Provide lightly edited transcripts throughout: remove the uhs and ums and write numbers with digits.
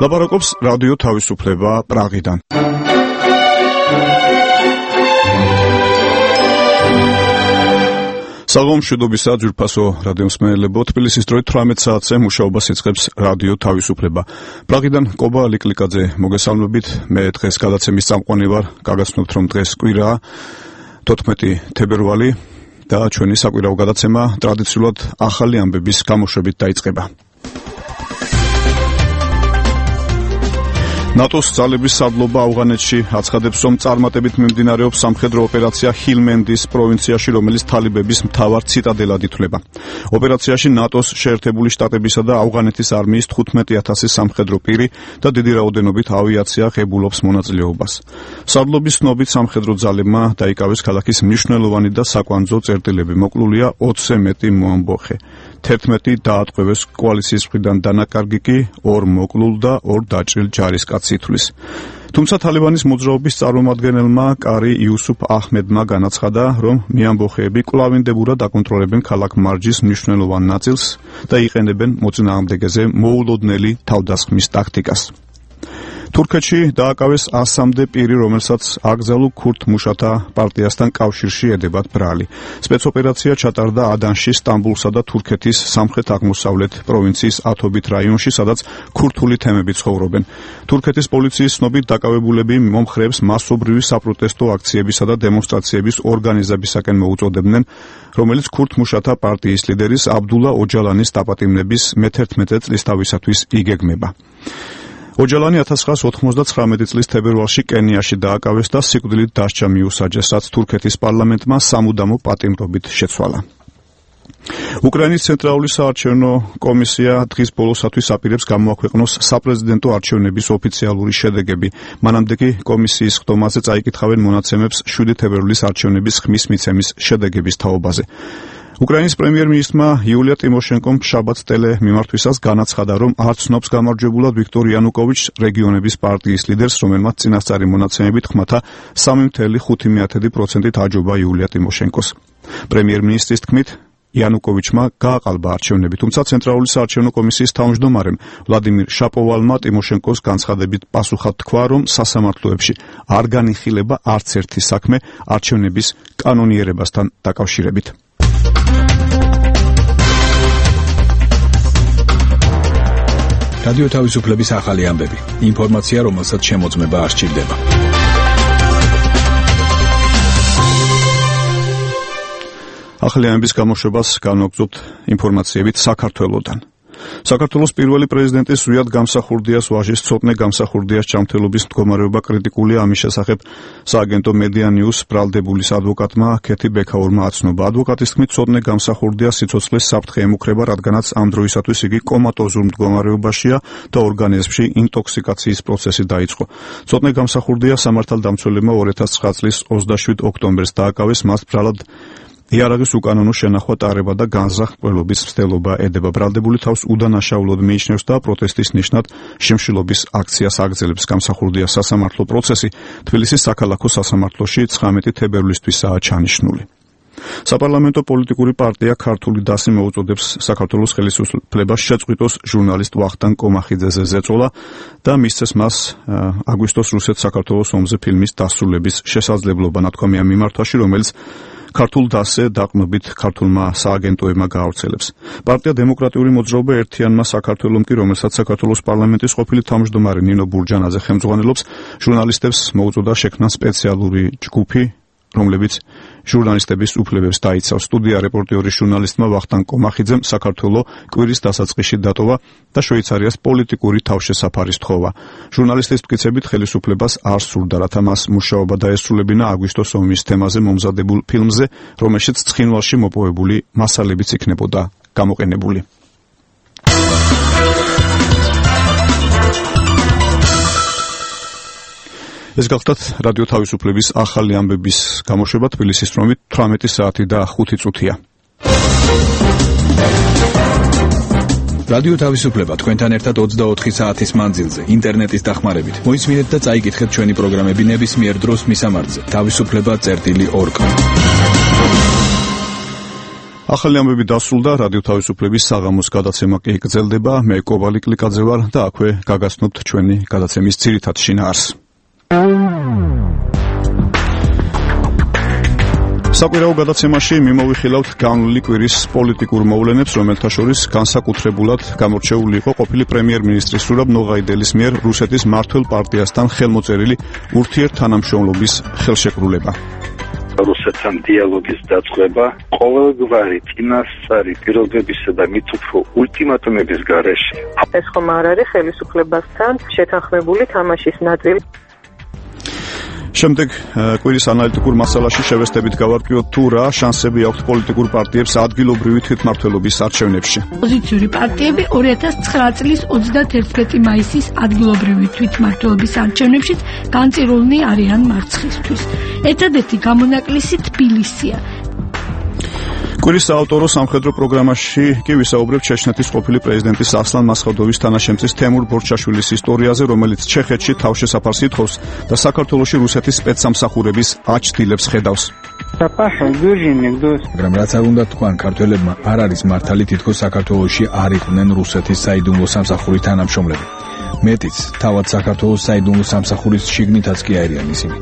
ლაპარაკობს რადიო თავისუფლება პრაღიდან. საღამომშვიდობისა ძვირფასო რადიომსმენელებო, თბილისის დროით 18 საათზე მუშაობას იწყებს რადიო თავისუფლება. პრაღიდან კობა ლიკლიკაძე მოგესალმებით. მე დღეს გადაცემის წამყვანი ვარ. გაგაცნობთ, რომ დღეს კვირაა 14 თებერვალი და ჩვენი საკვირაო გადაცემა ტრადიციულად ახალი ამბების გამოშვებით დაიწყება. ნატოს ძალების სარდლობა ავღანეთში აცხადებს, რომ წარმატებით მიმდინარეობს სამხედრო ოპერაცია ჰილმენდის პროვინციაში, რომელიც თალიბების მთავარ ციტადელად ითვლება. ოპერაციაში ნატოს შეერთებული შტატებისა და ავღანეთის არმიის 15,000 სამხედრო პირი და დიდი რაოდენობით ავიაცია ღებულობს მონაწილეობას. სარდლობის ცნობით სამხედრო ძალებმა დაიკავეს ქალაქის მნიშვნელოვანი და საკვანძო წერტილები. მოკლულია 20-ზე მეტი მოამბოხე. 11 დაატყვევეს კოალიციის მხრიდან დანაკარგი კი 2 მოკლულ და 2 დაჭრილ ჯარისკაცს ითვლის. თუმცა თალიბანის მოძრაობის წარმომადგენელმა კარი იუსუფ აჰმედმა განაცხადა, რომ მეამბოხეები კვლავინდებურად აკონტროლებენ ქალაქ მარჯის მნიშვნელოვან ნაწილს და იყენებენ მოწინააღმდეგეზე მოულოდნელი თავდასხმის ტაქტიკას. თურქეთში დააკავეს 100-მდე პირი, რომელსაც აკზალუ ქურთ მუშათა პარტიასთან კავშირში ედებათ ბრალი. სპეცოპერაცია ჩატარდა ადანში, სტამბულსა და თურქეთის სამხრეთ-აღმოსავლეთ პროვინციის ათობით რაიონში, სადაც ქურთული თემები ცხოვრობენ. თურქეთის პოლიციის ცნობით დაკავებულები მომხრეებს მასობრივი საპროტესტო აქციებისა და დემონსტრაციების ორგანიზებისაკენ მოუწოდებდნენ, რომელიც ქურთ მუშათა პარტიის ლიდერის აბდულა ოჯალანის დაპატიმრების მე-11 წლისთავისათვის იგეგმება. ოჯალანი 1999 წლის თებერვალში კენიაში დააკავეს და სიკვდილით დასჯა მიუსაჯეს, რაც თურქეთის პარლამენტმა სამუდამო პატიმრობით შეცვალა. უკრაინის ცენტრალური საარჩევნო კომისია დღის ბოლოსათვის აპირებს გამოაქვეყნოს საპრეზიდენტო არჩევნების ოფიციალური შედეგები. მანამდე კი კომისიის ხდომაზე წაიკითხავენ მონაცემებს 7 თებერვლის არჩევნების ხმის მიცემის შედეგების თაობაზე. უკრაინის პრემიერ-მინისტრმა იულია ტიმოშენკომ შაბათს ტელემიმართვისას განაცხადა, რომ არ ცნობს გამარჯვებულად ვიქტორ იანუკოვიჩს, რეგიონების პარტიის ლიდერს, რომელმაც წინასწარი მონაცემებით ხმათა 3.5%-ით აჯობა იულია ტიმოშენკოს. პრემიერ-მინისტრის თქმით, იანუკოვიჩმა გააყალბა არჩევნები, თუმცა ცენტრალური საარჩევნო კომისიის თავმჯდომარემ ვლადიმირ შაპოვალმა ტიმოშენკოს განცხადებით პასუხად თქვა, რომ სასამართლოებში არ განიხილება არც ერთი საქმე არჩევნების კანონიერებასთან დაკავშირებით. რადიო თავისუფლების ახალი ამბები. ინფორმაცია, რომელსაც შემოწმება არ სჭირდება. ახალი ამბების გამოშვებას განვაგრძობთ ინფორმაციებით საქართველოდან. საქართველოს პირველი პრეზიდენტი ზვიად გამსახურდიას ვაჟის ცოტნე გამსახურდიას ჯანმრთელობის მდგომარეობა კრიტიკულია. ამის შესახებ სააგენტო მედია ნიუს ბრალდებულის ადვოკატმა ქეთი ბექაურმა აცნობა. ადვოკატის თქმით, ცოტნე გამსახურდიას სიცოცხლის საფრთხე ემუქრება, რადგანაც ამ დროისათვის იგი კომატოზურ მდგომარეობაშია და ორგანიზმში ინტოქსიკაციის პროცესი დაიწყო. ცოტნე გამსახურდია სამართალდამცველებმა 2009 წლის 27 ოქტომბერს დააკავეს, მას ბრალად იარაღის უკანონო შენახვა ტარება და განზრახ-მკვლელობის მცდელობა ედება. ბრალდებული თავს უდანაშაულოდ მიიჩნევს და პროტესტის ნიშნად შიმშილობის აქციას აგრძელებს. გამსახურდიას სასამართლო პროცესი თბილისის საქალაქო სასამართლოში 19 თებერვლისთვისაა ჩანიშნული. საპარლამენტო პოლიტიკური პარტია ქართული დასი მოუწოდებს საქართველოს ხელისუფლებას შეწყვიტოს ჟურნალისტ ვახტანგ კომახიძეზე ზეწოლა და მისცეს მას აგვისტოს რუსეთ-საქართველოს ომზე ფილმის დასრულების შესაძლებლობა. ნათქვამია მიმართვაში, რომელიც ქართულ დასზე დაყრდნობით ქართულმა სააგენტოებმა გაავრცელებს. პარტია დემოკრატიული მოძრაობა ერთიანმა საქართველომ კი, რომელსაც საქართველოს პარლამენტის ყოფილი თავმჯდომარე ნინო ბურჯანაძე ხელმძღვანელობს, ჟურნალისტებს მოუწოდა შექმნა სპეციალური ჯგუფი, რომლებიც ჟურნალისტების უფლებებს დაიცავს. სტუდია რეპორტიორის ჟურნალისტმა ვახტანგ კომახიძემ საქართველოს კვირის დასაწყისში დატოვა და შვეიცარიას პოლიტიკური თავშესაფარი სთხოვა. ჟურნალისტის მტკიცებით ხელისუფლებას არ სურდა, რათა მას მუშაობა დაესრულებინა აგვისტოს ომის თემაზე მომზადებულ ფილმზე, რომელშიც ცხინვალში მოპოვებული მასალებიც იქნებოდა გამოყენებული. ეს გახლდათ რადიო თავისუფლების ახალი ამბების გამოშვება. თბილისის დროით 18 საათი და 5 წუთია. რადიო თავისუფლება თქვენთან ერთად 24 საათის მანძილზე, ინტერნეტის დახმარებით. მოისმინეთ და წაიკითხეთ ჩვენი პროგრამები ნებისმიერ დროს მისამართზე. თავისუფლება.org. ახალი ამბები დასრულდა, რადიო თავისუფლების საღამოს გადაცემა კი გრძელდება. მე კობალი კლიკაძე ვარ და აქვე გაგაცნობთ ჩვენი გადაცემის ძირითად შინაარსს. საკვირაო გადაცემაში მიმოვიხილავთ განვლილი კვირის პოლიტიკურ მოვლენებს, რომელთა შორის განსაკუთრებულად გამორჩეული იყო ყოფილი პრემიერ-მინისტრი სურაბ ნოღაიდელის მიერ რუსეთის მმართველ პარტიასთან ხელმოწერილი ურთიერთთანამშრომლობის ხელშეკრულება. რუსეთთან დიალოგის დაწყება ყოველგვარი წინასწარი პირობებისა და მით უფრო ულტიმატუმების გარეშე. ეს ხომ არ არის ხელისუფლებასთან შეთანხმებული თამაშის ნაწილი. შემდეგ კვირის ანალიტიკურ მასალაში შევესწრებით გავარკვიოთ თუ რა შანსები აქვს პოლიტიკურ პარტიებს ადგილობრივი თვითმმართველობის არჩევნებში. ოპოზიციური პარტიები 2009 წლის 31 მაისის ადგილობრივი თვითმმართველობის არჩევნებში განწირულნი არიან მარცხისთვის. ერთადერთი გამონაკლისი თბილისია. კვირის საავტორო სამხედრო პროგრამაში კი ვისაუბრებთ ჩეჩნეთის ყოფილი პრეზიდენტის ასლან მასხადოვის თანაშემწის თემურ ბორჩაშვილის ისტორიაზე, რომელიც ჩეხეთში თავშესაფარს ითხოვს და საქართველოში რუსეთის სპეცსამსახურების აჩდილებს ხედავს. მაგრამ რაც არ უნდა თქვან, ქართველებმა არ არის მართალი თითქოს საქართველოში არ იყვნენ რუსეთის საიდუმლო სამსახურის თანამშრომლები. მეტიც, თავად საქართველოს საიდუმლო სამსახურის შიგნითაც კი არიან ისინი.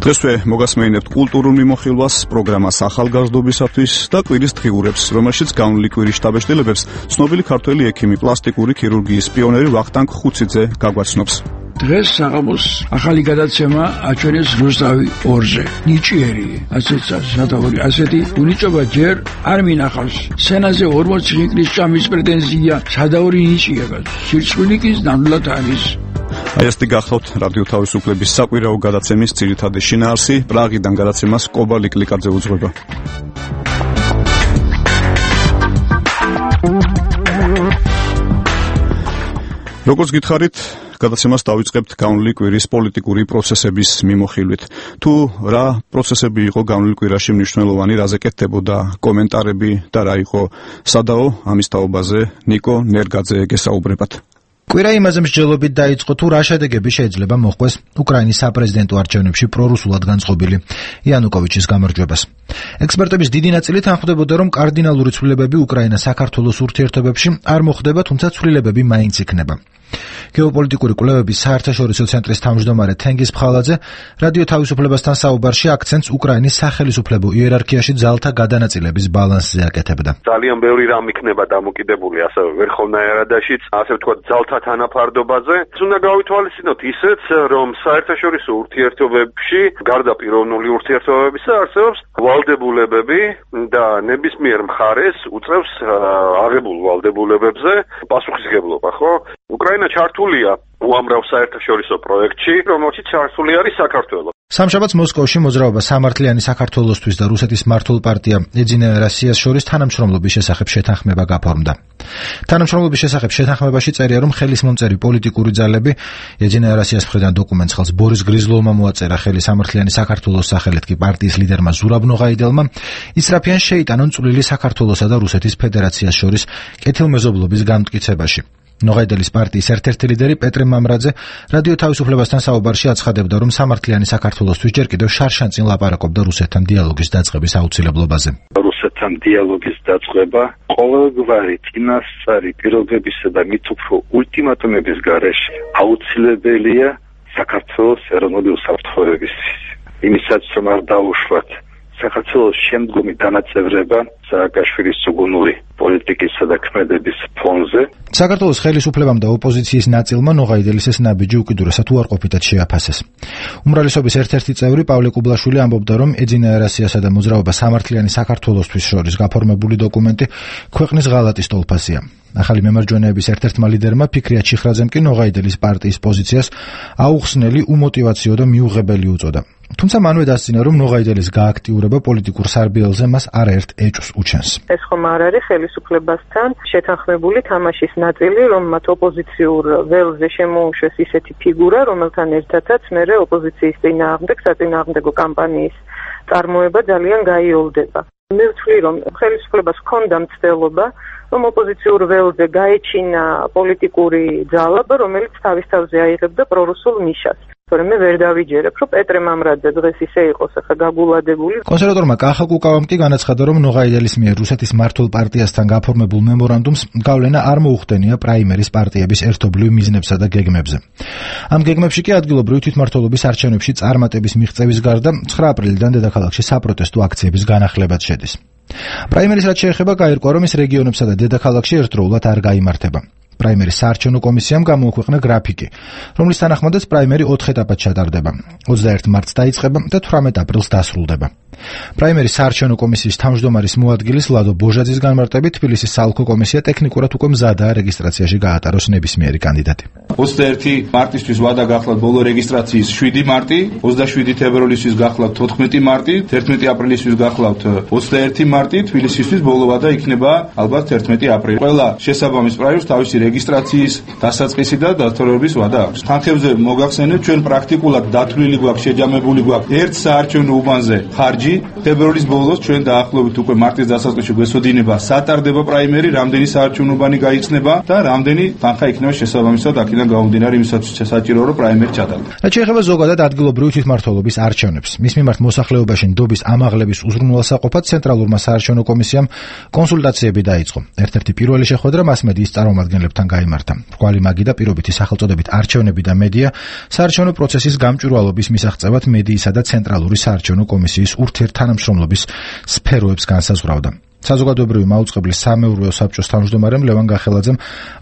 დღესვე მოგასმენინებთ კულტურულ მიმოხილვას, პროგრამას ახალგაზრდობისათვის და კვირის დღიურებს, რომელშიც განვლილი კვირის შტაბ-შტილებებს ცნობილი ქართველი ექიმი, პლასტიკური ქირურგიის პიონერი ვახტანგ ხუციძე გაგვაცნობს. დღეს საღამოს ახალი გადაცემა აჩვენეს რუსთავი 2-ზე. ნიჭიერი, ასეთი უნიჭობა ჯერ არ მინახავს. სცენაზე 40 ღიკლის ჭამის პრეტენზია, სადაური ნიჭია, სირცხვილი კი ნამდვილად არის. აი ესეთი გახლავთ რადიო თავისუფლების საკვირაო გადაცემის ძირითადი შინაარსი. პრაღიდან გადაცემას კობალი კლიკაძე უძღვება. როგორც გითხარით, გადაცემას დავიწყებთ განვლილი კვირის პოლიტიკური პროცესების მიმოხილვით. თუ რა პროცესები იყო განვლილ კვირაში მნიშვნელოვანი, რაზე კეთდებოდა კომენტარები და რა იყო სადაო, ამის თაობაზე ნიკო ნერგაძე გესაუბრებათ. კვირა იმაზე მსჯელობით დაიწყო, თუ რა შედეგები შეიძლება მოჰყვეს უკრაინის საპრეზიდენტო არჩევნებში პრორუსულად განწყობილი იანუკოვიჩის გამარჯვებას. ექსპერტების დიდი ნაწილი თანხმდებოდა, რომ კარდინალური ცვლილებები უკრაინა-საქართველოს ურთიერთობებში არ მოხდება, თუმცა ცვლილებები მაინც იქნება. გეოპოლიტიკური კვლევების საერთაშორისო ცენტრის თავმჯდომარე თენგიზ ფხალაძე რადიო თავისუფლებასთან საუბარში აქცენტს უკრაინის სახელისუფლებო იერარქიაში ძალთა გადანაწილების ბალანსზე აკეთებდა. ძალიან ბევრი რამ იქნება დამოკიდებული ასევე ვერხოვნაერადაშიც, ასე ვთქვათ, ძალთა თანაფარდობაზე. უნდა გავითვალისწინოთ ისეც, რომ საერთაშორისო ურთიერთობებში, გარდა პიროვნული ურთიერთობებისა, არსებობს ვალდებულებები და ნებისმიერ მხარეს უწევს აღებულ ვალდებულებებზე პასუხისგებლობა, ხო? უკრაინა ჩართულია უამრავ საერთაშორისო პროექტში, რომელშიც ჩართული არის საქართველო. სამშაბათს მოსკოვში მოძრაობა სამართლიანი საქართველოსთვის და რუსეთის მართულ პარტია ეძინა რასიას შორის თანამშრომლობის შესახებ შეთანხმება გაფორმდა. თანამშრომლობის შესახებ შეთანხმებაში წერია, რომ ხელისმომწერი პოლიტიკური ძალები ეძინა რასიას მხრიდან დოკუმენტს ხელს ბორის გრიზლოვმა მოაწერა ხელი სამართლიანი საქართველოს სახელით კი პარტიის ლიდერმა ზურაბ ნოღაიდელმა ისრაფიან შეიტანონ წვლილი საქართველოსა და რუსეთის ფედერაციას შორის კეთილმეზობლობის განმტკიცებაში. ნოღაიდელის პარტიის ერთ-ერთი ლიდერი პეტრე მამრაძე რადიო თავისუფლებასთან საუბარში აცხადებდა, რომ სამართლიანი საქართველოსთვის ჯერ კიდევ შარშანწინ ლაპარაკობდა რუსეთთან დიალოგის დაწყების აუცილებლობაზე. რუსეთთან დიალოგის დაწყება ყოველგვარი წინასწარი პირობებისა და მით უფრო ულტიმატუმების გარეშე აუცილებელია საქართველოს ეროვნული უსაფრთხოებისთვის. იმისაც რომ არ დაუშვათ საქართველოს შემდგომი დანაწევრება სააკაშვილის ცუგუნური პოლიტიკისა და ქმედების ფონზე. საქართველოს ხელისუფლებამ და ოპოზიციის ნაწილმა ნოღაიდელის ეს ნაბიჯი უკიდურესად უარყოფითად შეაფასეს. უმრავლესობის ერთ-ერთი წევრი პავლე კუბლაშვილი ამბობდა, რომ ეძინა რასიასა და მოძრაობა სამართლიანი საქართველოსთვის შორის გაფორმებული დოკუმენტი ქვეყნის ღალატის ტოლფასია. ახალი მემარჯვენეების ერთ-ერთმა ლიდერმა ფიქრია ჩიხრაძემ კი ნოღაიდელის პარტიის პოზიციას აუხსნელი, უმოტივაციო და მიუღებელი უწოდა. თუმცა მანვე დასძინა, რომ ნოღაიდელის გააქტიურება პოლიტიკურ სარბიელზე მას არაერთ ეჭვს უჩენს. ეს ხომ არ არის ხელისუფლებასთან შეთანხმებული თამაშის ნაწილი, რომ მათ ოპოზიციურ ველზე შემოუშვეს ისეთი ფიგურა, რომელთან ერთადაც მერე ოპოზიციის წინააღმდეგ საწინააღმდეგო კამპანიის წარმოება ძალიან გაიოლდება. მე ვთვლი, რომ ხელისუფლებას ჰქონდა მცდელობა, რომ ოპოზიციურ ველზე გაეჩინა პოლიტიკური ძალა, რომელიც თავის თავზე აიღებდა პრორუსულ ნიშას. თორემ მე ვერ დავიჯერებ, რომ პეტრე მამრაძე დღეს ისე იყოს ახლა გაგულადებული. კონსერვატორმა კახა კუკავამ კი განაცხადა, რომ ნოღაიდელის მიერ რუსეთის მართულ პარტიასთან გაფორმებულ მემორანდუმს გავლენა არ მოუხდენია პრაიმერის პარტიების ერთობლივ მიზნებსა და გეგმებზე. ამ გეგმებში კი ადგილობრივი თვითმმართველობის არჩევნებში წარმატების მიღწევის გარდა 9 აპრილიდან დედაქალაქში საპროტესტო აქციების განახლებაც შედის. პრაიმერის რაც შეეხება, გაირკვა, რომ ის რეგიონებსა და დედაქალაქში ერთდროულად არ გაიმართება. პრაიმერის საარჩევნო კომისიამ გამოუქვეყნა გრაფიკი, რომლის თანახმადაც პრაიმერი 4 ეტაპად ჩატარდება. 21 მარტს დაიწყება და 18 აპრილს დასრულდება. პრაიმერის საარჩევნო კომისიის თავმჯდომარის მოადგილის ლადო ბოჟაძის განმარტებით, თბილისის საოლქო კომისია ტექნიკურად უკვე მზადაა რეგისტრაციაში გაატაროს ნებისმიერი კანდიდატი. 21 მარტისთვის ვადა გახლავთ ბოლო რეგისტრაციის 7 მარტი, 27 თებერვლისთვის გახლავთ 14 მარტი, 11 აპრილისთვის გახლავთ 21 მარტი, თბილისისთვის ბოლო ვადა იქნება ალბათ 11 აპრილი. ყველა შესაბამის პრაიმერს თავისი რეგისტრაციის დასაწყისი და დათორების ვადა აქვს. თანხებზე მოგახსენებთ, ჩვენ პრაქტიკულად დათვლილი გვაქვს, შეჯამებული გვაქვს ერთ საარჩევნო უბანზე ხარჯი. თებერვლის ბოლოს ჩვენ დაახლოებით უკვე მარტის დასაწყისში გვესოდინება სატარდება პრაიმერი, რამდენი საარჩევნო უბანი გაიხსნება და რამდენი თანხა იქნება შესაბამისად აქედან გამომდინარე იმისათვის საჭიროა რომ პრაიმერი ჩატარდეს. რაც შეეხება ზოგადად ადგილობრივი თვითმმართველობის არჩევნებს, მის მიმართ მოსახლეობაში ნდობის ამაღლების უზრუნველსაყოფად ცენტრალურმა საარჩევნო კომისიამ კონსულტაციები დაიწყო. ერთ-ერთი პირველი შეხვედრა მასმედიის წარმომადგენლებთან გაიმართა. მრგვალი მაგი და პირობითი სახელწოდებით არჩევნები და მედია საარჩევნო პროცესის გამჭვირვალობის მისაღწევად მედიისა და ცენტრალური საარჩევნო კომისიის ურთიერთთანამშრომლობის სფეროებს განსაზღვრავდა. საზოგადოებრივი მაუწყებლის სამეურვეო საბჭოს თავმჯდომარემ ლევან გახელაძემ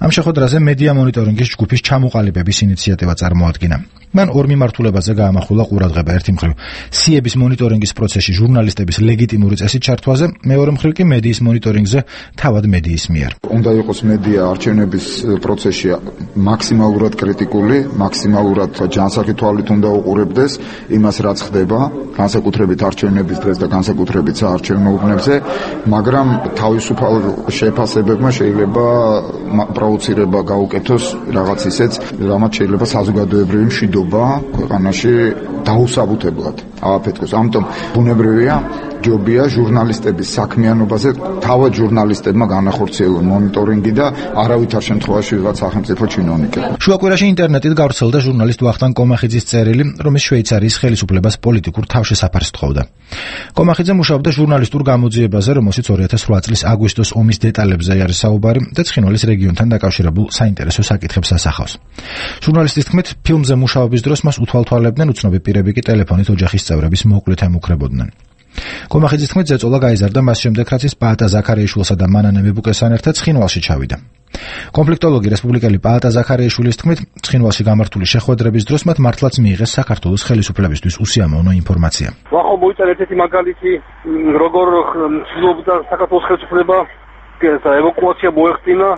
ამ შეხვედრაზე მედია მონიტორინგის ჯგუფის ჩამოყალიბების ინიციატივა წარმოადგინა. მან ორ მიმართულებაზე გაამახვილა ყურადღება. ერთი მხრივ სიების მონიტორინგის პროცესში ჟურნალისტების ლეგიტიმური წესით ჩართვაზე, მეორე მხრივ კი მედიის მონიტორინგზე თავად მედიის მიერ. უნდა იყოს მედია არჩევნების პროცესში მაქსიმალურად კრიტიკული, მაქსიმალურად ჯანსაღი თვალით უნდა უყურებდეს იმას, რაც ხდება, განსაკუთრებით არჩევნების დღეს და განსაკუთრებით საარჩევნო უბნებზე, მაგრამ თავისუფალ შეფასებებმა შეიძლება პროვოცირება გაუკეთოს რაღაც ისეც, რამაც შეიძლება საზოგადოებრივი მშვიდობა ქვეყანაში დაუსაბუთებლად ააფეთქოს. ამიტომ ბუნებრივია, ჯობია ჟურნალისტების საქმიანობაზე თავად ჟურნალისტებმა განახორციელონ მონიტორინგი და არავითარ შემთხვევაში ვიღაც სახელმწიფო ჩინოვნიკები. შუაკვირაში ინტერნეტით გავრცელდა ჟურნალისტ ვახტანგ კომახიძის წერილი, რომელიც შვეიცარიის ხელისუფლებას პოლიტიკურ თავშესაფარს თხოვდა. კომახიძე მუშაობდა ჟურნალისტურ გამოძიებაზე, რომელშიც 2008 წლის აგვისტოს ომის დეტალებზე არის საუბარი და ცხინვალის რეგიონთან დაკავშირებულ საინტერესო საკითხებს ასახავს. ჟურნალისტის თქმით, ფილმზე მუშაობის დროს მას უთვალთვალებდნენ, უცნობი პირები კი ტელეფონით ოჯახის წევრების მოკლედ ემუქრებოდნენ. კომახიძის თქმით, ზეწოლა გაიზარდა მას შემდეგ, რაც ის პაატა ზაქარიაშვილსა და მანანე მებუკესთან ერთად ცხინვალში ჩავიდა. კონფლიქტოლოგი რესპუბლიკელი პაატა ზაქარიაშვილის თქმით, ცხინვალში გამართული შეხვედრების დროს მათ მართლაც მიიღეს საქართველოს ხელისუფლებისთვის უსიამოვნო ინფორმაცია. ვახო მოიწერეთ ერთი მაგალითი, როგორ ცდილობდა საქართველოს ხელისუფლება ევაკუაცია მოეხდინა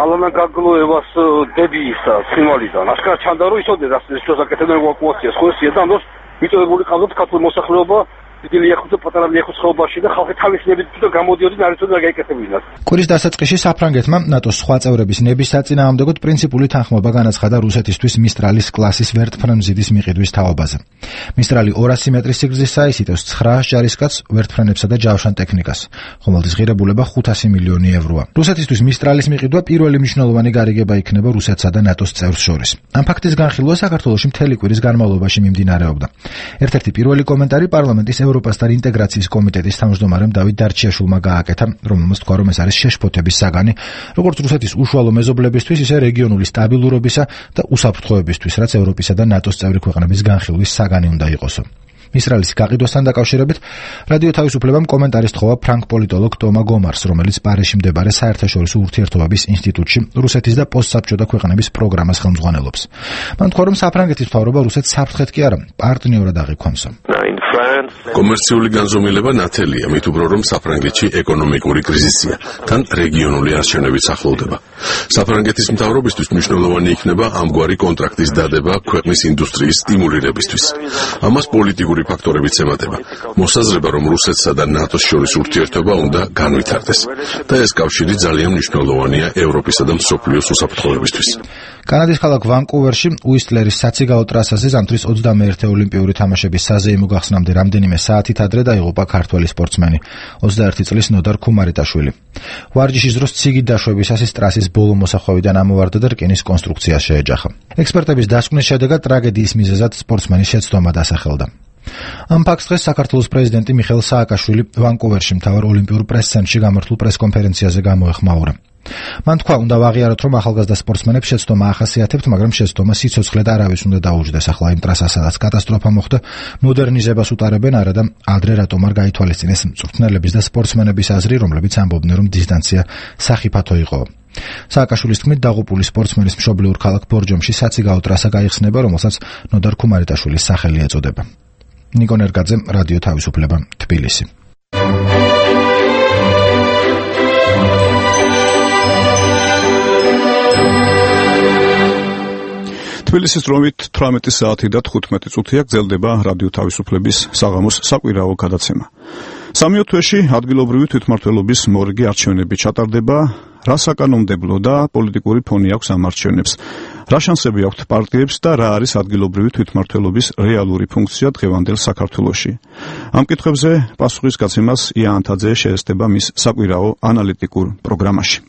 ალანა გაგლოევას დებიისა ცხინვალიდან. აშკარად ჩანდა, რომ იცოდნენ რა შესაკეთებდნენ ევაკუაციას, ხო ესია და ამ დროს მიწოდებული ყავდათ ქართული მოსახლეობა დიდი ლიახვის და პატარა ლიახვის ხეობაში და ხალხი თავის ნებით და გამოდიოდნენ არ იცოდნენ რა გაიკეთებინათ. კვირის დასაწყისში საფრანგეთმა ნატოს სხვა წევრების ნების საწინააღმდეგოდ პრინციპული თანხმობა განაცხადა რუსეთისთვის მისტრალის კლასის ვერტფრენზიდის მიყიდვის თაობაზე. მისტრალი 200 მეტრის სიგრძისაა, იტევს 900 ჯარისკაცს, ვერტფრენებსა და ჯავშან ტექნიკას, ხომალდის ღირებულება 500 მილიონი ევროა. რუსეთისთვის მისტრალის მიყიდვა პირველი მნიშვნელოვანი გარიგება იქნება რუსეთსა და ნატოს წევრს შორის. ამ ფაქტის განხილვა საქართველოში მთელი კვირის განმავლობაში მიმდინარეობდა. ერთ-ერთი პირველი კომენტარი პარლამენტის ევროპასთან ინტეგრაციის კომიტეტის თავმჯდომარემ დავით დარჩიაშვილმა გააკეთა, რომელმაც თქვა, რომ ეს არის შეშფოთების საგანი, როგორც რუსეთის უშუალო მეზობლებისთვის, ისე რეგიონული სტაბილურობისა და უსაფრთხოებისთვის, რაც ევროპისა და ნატოს წევრი ქვეყნების განხილვის საგანი უნდა იყოსო. მისტრალის გაყიდვასთან დაკავშირებით რადიო თავისუფლებამ კომენტარის თხოვა ფრანგ პოლიტოლოგ ტომა გომარს, რომელიც პარიზში მდებარე საერთაშორისო ურთიერთობების ინსტიტუტში რუსეთის და პოსტსაბჭოთა ქვეყნების პროგრამას ხელმძღვანელობს. მან თქვა, რომ საფრანგეთის მთავრობა რუსეთს საფრთხედ კი არა, პარტნიორად აღიქვამსო. კომერციული განზომილება ნათელია, მით უფრო რომ საფრანგეთში ეკონომიკური კრიზისია, თან რეგიონული არჩევნებიც ახლოვდება. საფრანგეთის მთავრობისთვის მნიშვნელოვანი იქნება ამგვარი კონტრაქტის დადება ქვეყნის ინდუსტრიის სტიმულირებისთვის. ამას პოლიტიკური ფაქტორებიც ემატება. მოსაზრება, რომ რუსეთსა და ნატოს შორის ურთიერთობა უნდა განვითარდეს და ეს კავშირი ძალიან მნიშვნელოვანია ევროპისა და მსოფლიოს უსაფრთხოებისთვის. კანადის ქალაქ ვანკუვერში უისტლერის საციგაო ტრასაზე ზამთრის 21 ოლიმპიური თამაშების საზეიმო გახსნამდე რამდენიმე საათით ადრე დაიღუპა ქართველი სპორტსმენი 21 წლის ნოდარ ქუმარიტაშვილი. ვარჯიშის დროს ციგით დაშვებისას ის ტრასის ბოლო მოსახვევიდან ამოვარდა და რკინის კონსტრუქციას შეეჯახა. ექსპერტების დასკვნის შედეგად ტრაგედიის მიზეზად სპორტსმენის შეცდომა დასახელდა. ამ ფაქტს დღეს საქართველოს პრეზიდენტი მიხეილ სააკაშვილი ვანკუვერში მთავარ ოლიმპიურ პრეს-ცენტრში გამართულ პრეს-კონფერენციაზე გამოეხმაურა. მან თქვა, უნდა ვაღიაროთ, რომ ახალგაზრდა სპორტსმენებს შეცდომა ახასიათებთ, მაგრამ შეცდომა სიცოცხლე და არავის უნდა დაუჯდეს. ახლა იმ ტრასას, სადაც კატასტროფა მოხდა, მოდერნიზებას უტარებენ, არა და ადრე რატომ არ გაითვალისწინეს მწვრთნელების და სპორტსმენების აზრი, რომლებიც ამბობდნენ, რომ დისტანცია სახიფათო იყო. სააკაშვილის თქმით, დაღუპული სპორტსმენის მშობლიურ ქალაქ ბორჯომში საციგაო ტრასა გაიხსნება, რომელსაც ნოდარ ქუმარიტაშვილის სახელი ეწოდება. ნიკონ ერგაძე, რადიო თავისუფლება, თბილისი. თბილისის დროით 18 საათი და 15 წუთია გრძელდება რადიო თავისუფლების საღამოს საკვირაო გადაცემა. სამიო თვეში ადგილობრივი თვითმმართველობის მორიგი არჩევნები ჩატარდება. რა საკანონმდებლო და პოლიტიკური ფონი აქვს ამ არჩევნებს? რა შანსები აქვთ პარტიებს და რა არის ადგილობრივი თვითმმართველობის რეალური ფუნქცია დღევანდელ საქართველოში? ამ კითხვებზე პასუხის გაცემას ია ანთაძე შეესწება მის საკვირაო ანალიტიკურ პროგრამაში.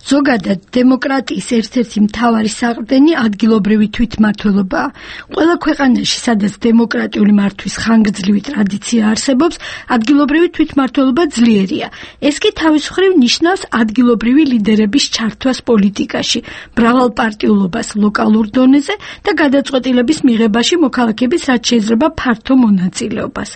ზოგადად დემოკრატიის ერთ-ერთი მთავარი საყრდენი ადგილობრივი თვითმმართველობაა. ყველა ქვეყანაში, სადაც დემოკრატიული მართვის ხანგრძლივი ტრადიცია არსებობს, ადგილობრივი თვითმმართველობა ძლიერია. ეს კი თავის მხრივ ნიშნავს ადგილობრივი ლიდერების ჩართვას პოლიტიკაში, მრავალპარტიულობას ლოკალურ დონეზე და გადაწყვეტილების მიღებაში მოქალაქების რაც შეიძლება ფართო მონაწილეობას.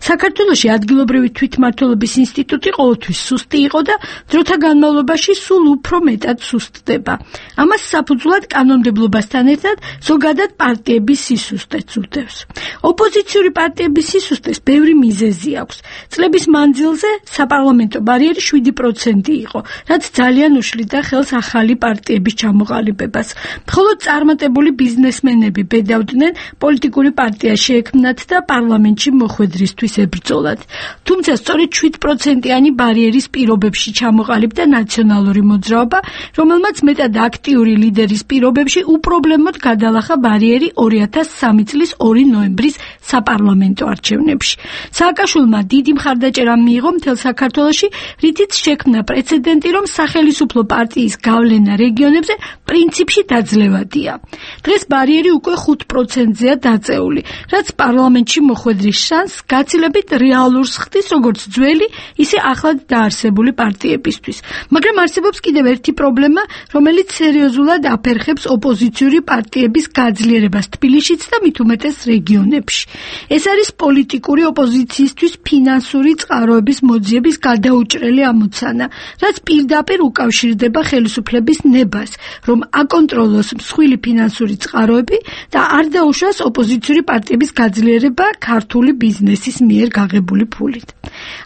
საქართველოში ადგილობრივი თვითმმართველობის ინსტიტუტი ყოველთვის სუსტი იყო და დროთა განმავლობაში სულ უფრო მეტად სუსტდება. ამას საფუძვლად კანონმდებლობასთან ერთად ზოგადად პარტიების სისუსტეც უდევს. ოპოზიციური პარტიების სისუსტეს ბევრი მიზეზი აქვს. წლების მანძილზე საპარლამენტო ბარიერი 7% იყო, რაც ძალიან უშლიდა ხელს ახალი პარტიების ჩამოყალიბებას. მხოლოდ წარმატებული ბიზნესმენები ბედავდნენ პოლიტიკური პარტია შეექმნათ და პარლამენტში მოხვედრისთვის ებრძოლათ. თუმცა სწორედ 7%-იანი ბარიერის პირობებში ჩამოყალიბდა ნაციონალური მოძრაობა, რომელმაც მეტად აქტიური ლიდერის პირობებში უპრობლემოდ გადალახა ბარიერი 2003 წლის 2 ნოემბრის საპარლამენტო არჩევნებში. სააკაშვილმა დიდი მხარდაჭერა მიიღო მთელ საქართველოში, რითიც შექმნა პრეცედენტი, რომ სახელისუფლო პარტიის გავლენა რეგიონებზე პრინციპში დაძლევადია. დღეს ბარიერი უკვე 5%-ზეა დაწეული, რაც პარლამენტში მოხვედრის შანსს გაცილებით რეალურს ხდის როგორც ძველი, ისე ახლად დაარსებული პარტიებისთვის. მაგრამ არსებობს კიდევ ერთი პრობლემა, რომელიც სერიოზულად აფერხებს ოპოზიციური პარტიების გაძლიერებას თბილისშიც და მით უმეტეს რეგიონებში. ეს არის პოლიტიკური ოპოზიციისთვის ფინანსური წყაროების მოძიების გადაუჭრელი ამოცანა, რაც პირდაპირ უკავშირდება ხელისუფლების ნებას, რომ აკონტროლოს მსხვილი ფინანსური წყაროები და არ დაუშვას ოპოზიციური პარტიების გაძლიერება ქართული ბიზნესის მიერ გაღებული ფულით.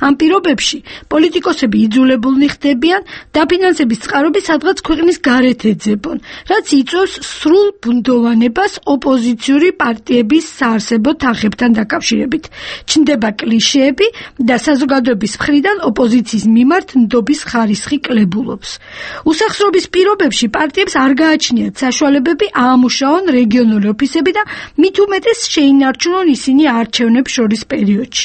ამ პირობებში პოლიტიკოსები იძულებულნი ხდებიან დაფინანსების წყაროები სადღაც ქვეყნის გარეთ ეძებონ, რაც იწვევს სრულ ბუნდოვანებას ოპოზიციური პარტიების საარსებო თანხებთან დაკავშირებით. ჩნდება კლიშეები და საზოგადოების მხრიდან ოპოზიციის მიმართ ნდობის ხარისხი კლებულობს. უსახსრობის პირობებში პარტიებს არ გააჩნიათ საშუალებები აამუშაონ რეგიონული ოფისები და მით უმეტეს შეინარჩუნონ ისინი არჩევნებს შორის პერიოდში.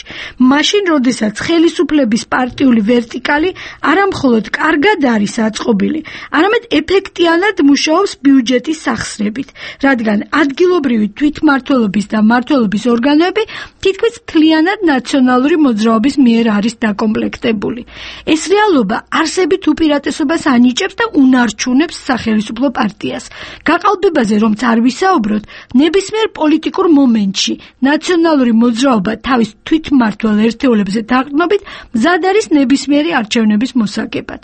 მაშინ, როდესაც ხელისუფლების პარტიული ვერტიკალი არამხოლოდ კარგად არის აწყობილი, არამედ ეფექტიანად მუშაობს ბიუჯეტის სახსრებით, რადგან ადგილობრივი თვითმმართველობის და მმართველობის ორგანოები თითქმის მთლიანად ნაციონალური მოძრაობის მიერ არის დაკომპლექტებული. ეს რეალობა არსებით უპირატესობას ანიჭებს და უნარჩუნებს სახელისუფლო პარტიას. გაყალბებაზე რომც არ ვისაუბროთ, ნებისმიერ პოლიტიკურ მომენტში ნაციონალური მოძრაობა თავის თვითმმართველ ერთეულებზე დაყრდნობით მზად არის ნებისმიერი არჩევნების მოსაგებად.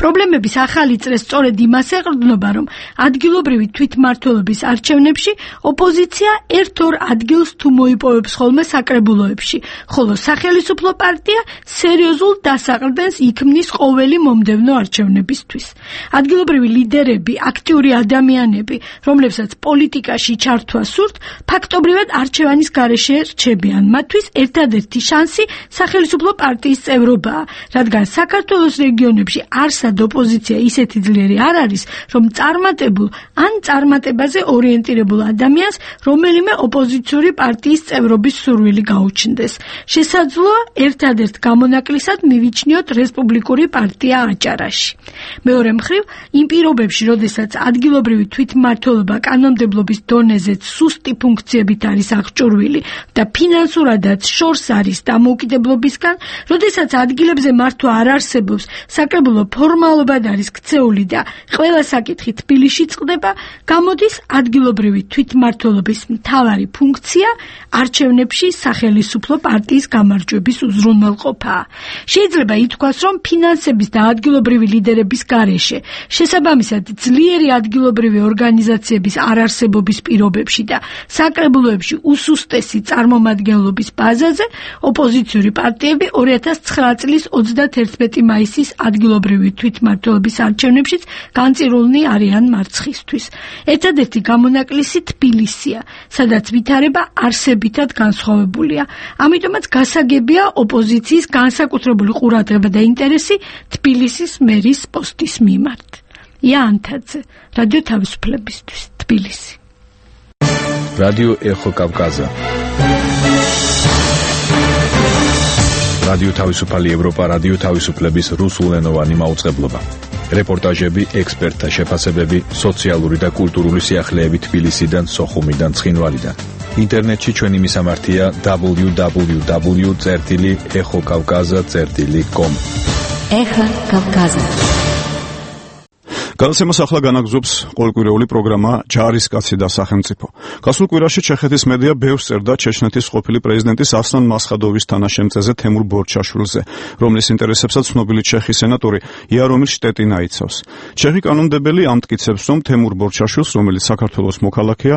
პრობლემების ახალი წრე სწორედ იმას ეყრდნობა, რომ ადგილობრივი თვითმმართველობის არჩევნებში ოპოზიცია ერთ-ორ ადგილს თუ მოიპოვებს ხოლმე საკრებულოებში, ხოლო სახელმწიფო პარტია სერიოზულ დასაყრდენს იქმნის ყოველი მომდევნო არჩევნებისთვის. ადგილობრივი ლიდერები, აქტიური ადამიანები, რომლებსაც პოლიტიკაში ჩართვა სურთ, ფაქტობრივად არჩევანის გარეშე რჩებიან. მათთვის ერთადერთი შანსი სახელმწიფო პარტიის წევრობაა, რადგან საქართველოს რეგიონებში არსად ოპოზიცია ისეთი ძლიერი არ არის, რომ წარმატებულ ან წარმატებაზე ორიენტირებულ ადამიანს რომელიმე ოპოზიციური პარტიის წევრობის სურვილი გაუჩნდეს. შესაძლოა ერთადერთ გამონაკლისად მივიჩნიოთ რესპუბლიკური პარტია აჭარაში. მეორე მხრივ, იმ პირობებში, როდესაც ადგილობრივი თვითმმართველობა კანონმდებლობის დონეზეც სუსტი ფუნქციებით არის აღჭურვილი და ფინანსურადაც შორს არის დამოუკიდებლობისგან, როდესაც ადგილებზე მართვა არ არსებობს, საკრებულო ფორმალობად არის ქცეული და ყველა საკითხი თბილისში წყდება, გამოდის ადგილობრივი თვითმმართველობის მთავარი ფუნქცია არჩევნებში სახელმწიფო პარტიის გამარჯვების უზრუნველყოფაა. შეიძლება ითქვას, რომ ფინანსების და ადგილობრივი ლიდერების გარეშე, შესაბამისად ძლიერი ადგილობრივი ორგანიზაციების არარსებობის პირობებში და საკრებულოებში უსუსტესი წარმომადგენლობის ბაზაზე, ოპოზიციური პარტიები 2009 წლის 31 მაისის ადგილობრივი თვითმმართველობის არჩევნებშიც განწირულნი არიან მარცხისთვის. ერთადერთი გამონაკლისი თბილისია, სადაც ვითარება არსებითად განსხვავებულია. ამიტომაც გასაგებია ოპოზიციის განსაკუთრებული ყურადღება და ინტერესი თბილისის მერის პოსტის მიმართ. იანთაძე, რადიო თავისუფლებისთვის, თბილისი. რადიო ეხო კავკაზა. რადიო თავისუფალი ევროპა, რადიო თავისუფლების რუსულენოვანი მაუწყებლობა. რეპორტაჟები, ექსპერტთა შეფასებები, სოციალური და კულტურული სიახლეები თბილისიდან, სოხუმიდან, ცხინვალიდან. ინტერნეტში ჩვენი მისამართია www.exokavkaza.com. ეხა კავკაზა. გადაცემას ახლა განაგზობს ყოველკვირეული პროგრამა ჯარისკაცი და სახელმწიფო. გასულ კვირაში ჩეხეთის მედია ბევრს წერდა ჩეჩნეთის ყოფილი პრეზიდენტის ასლან მასხადოვის თანაშემწეზე თემურ ბორჩაშვილზე, რომლის ინტერესებსაც ცნობილი ჩეხი სენატორი იარომირ შტეტინა იცავს. ჩეხი კანონმდებელი ამტკიცებს, რომ თემურ ბორჩაშვილს, რომელიც საქართველოს მოქალაქეა,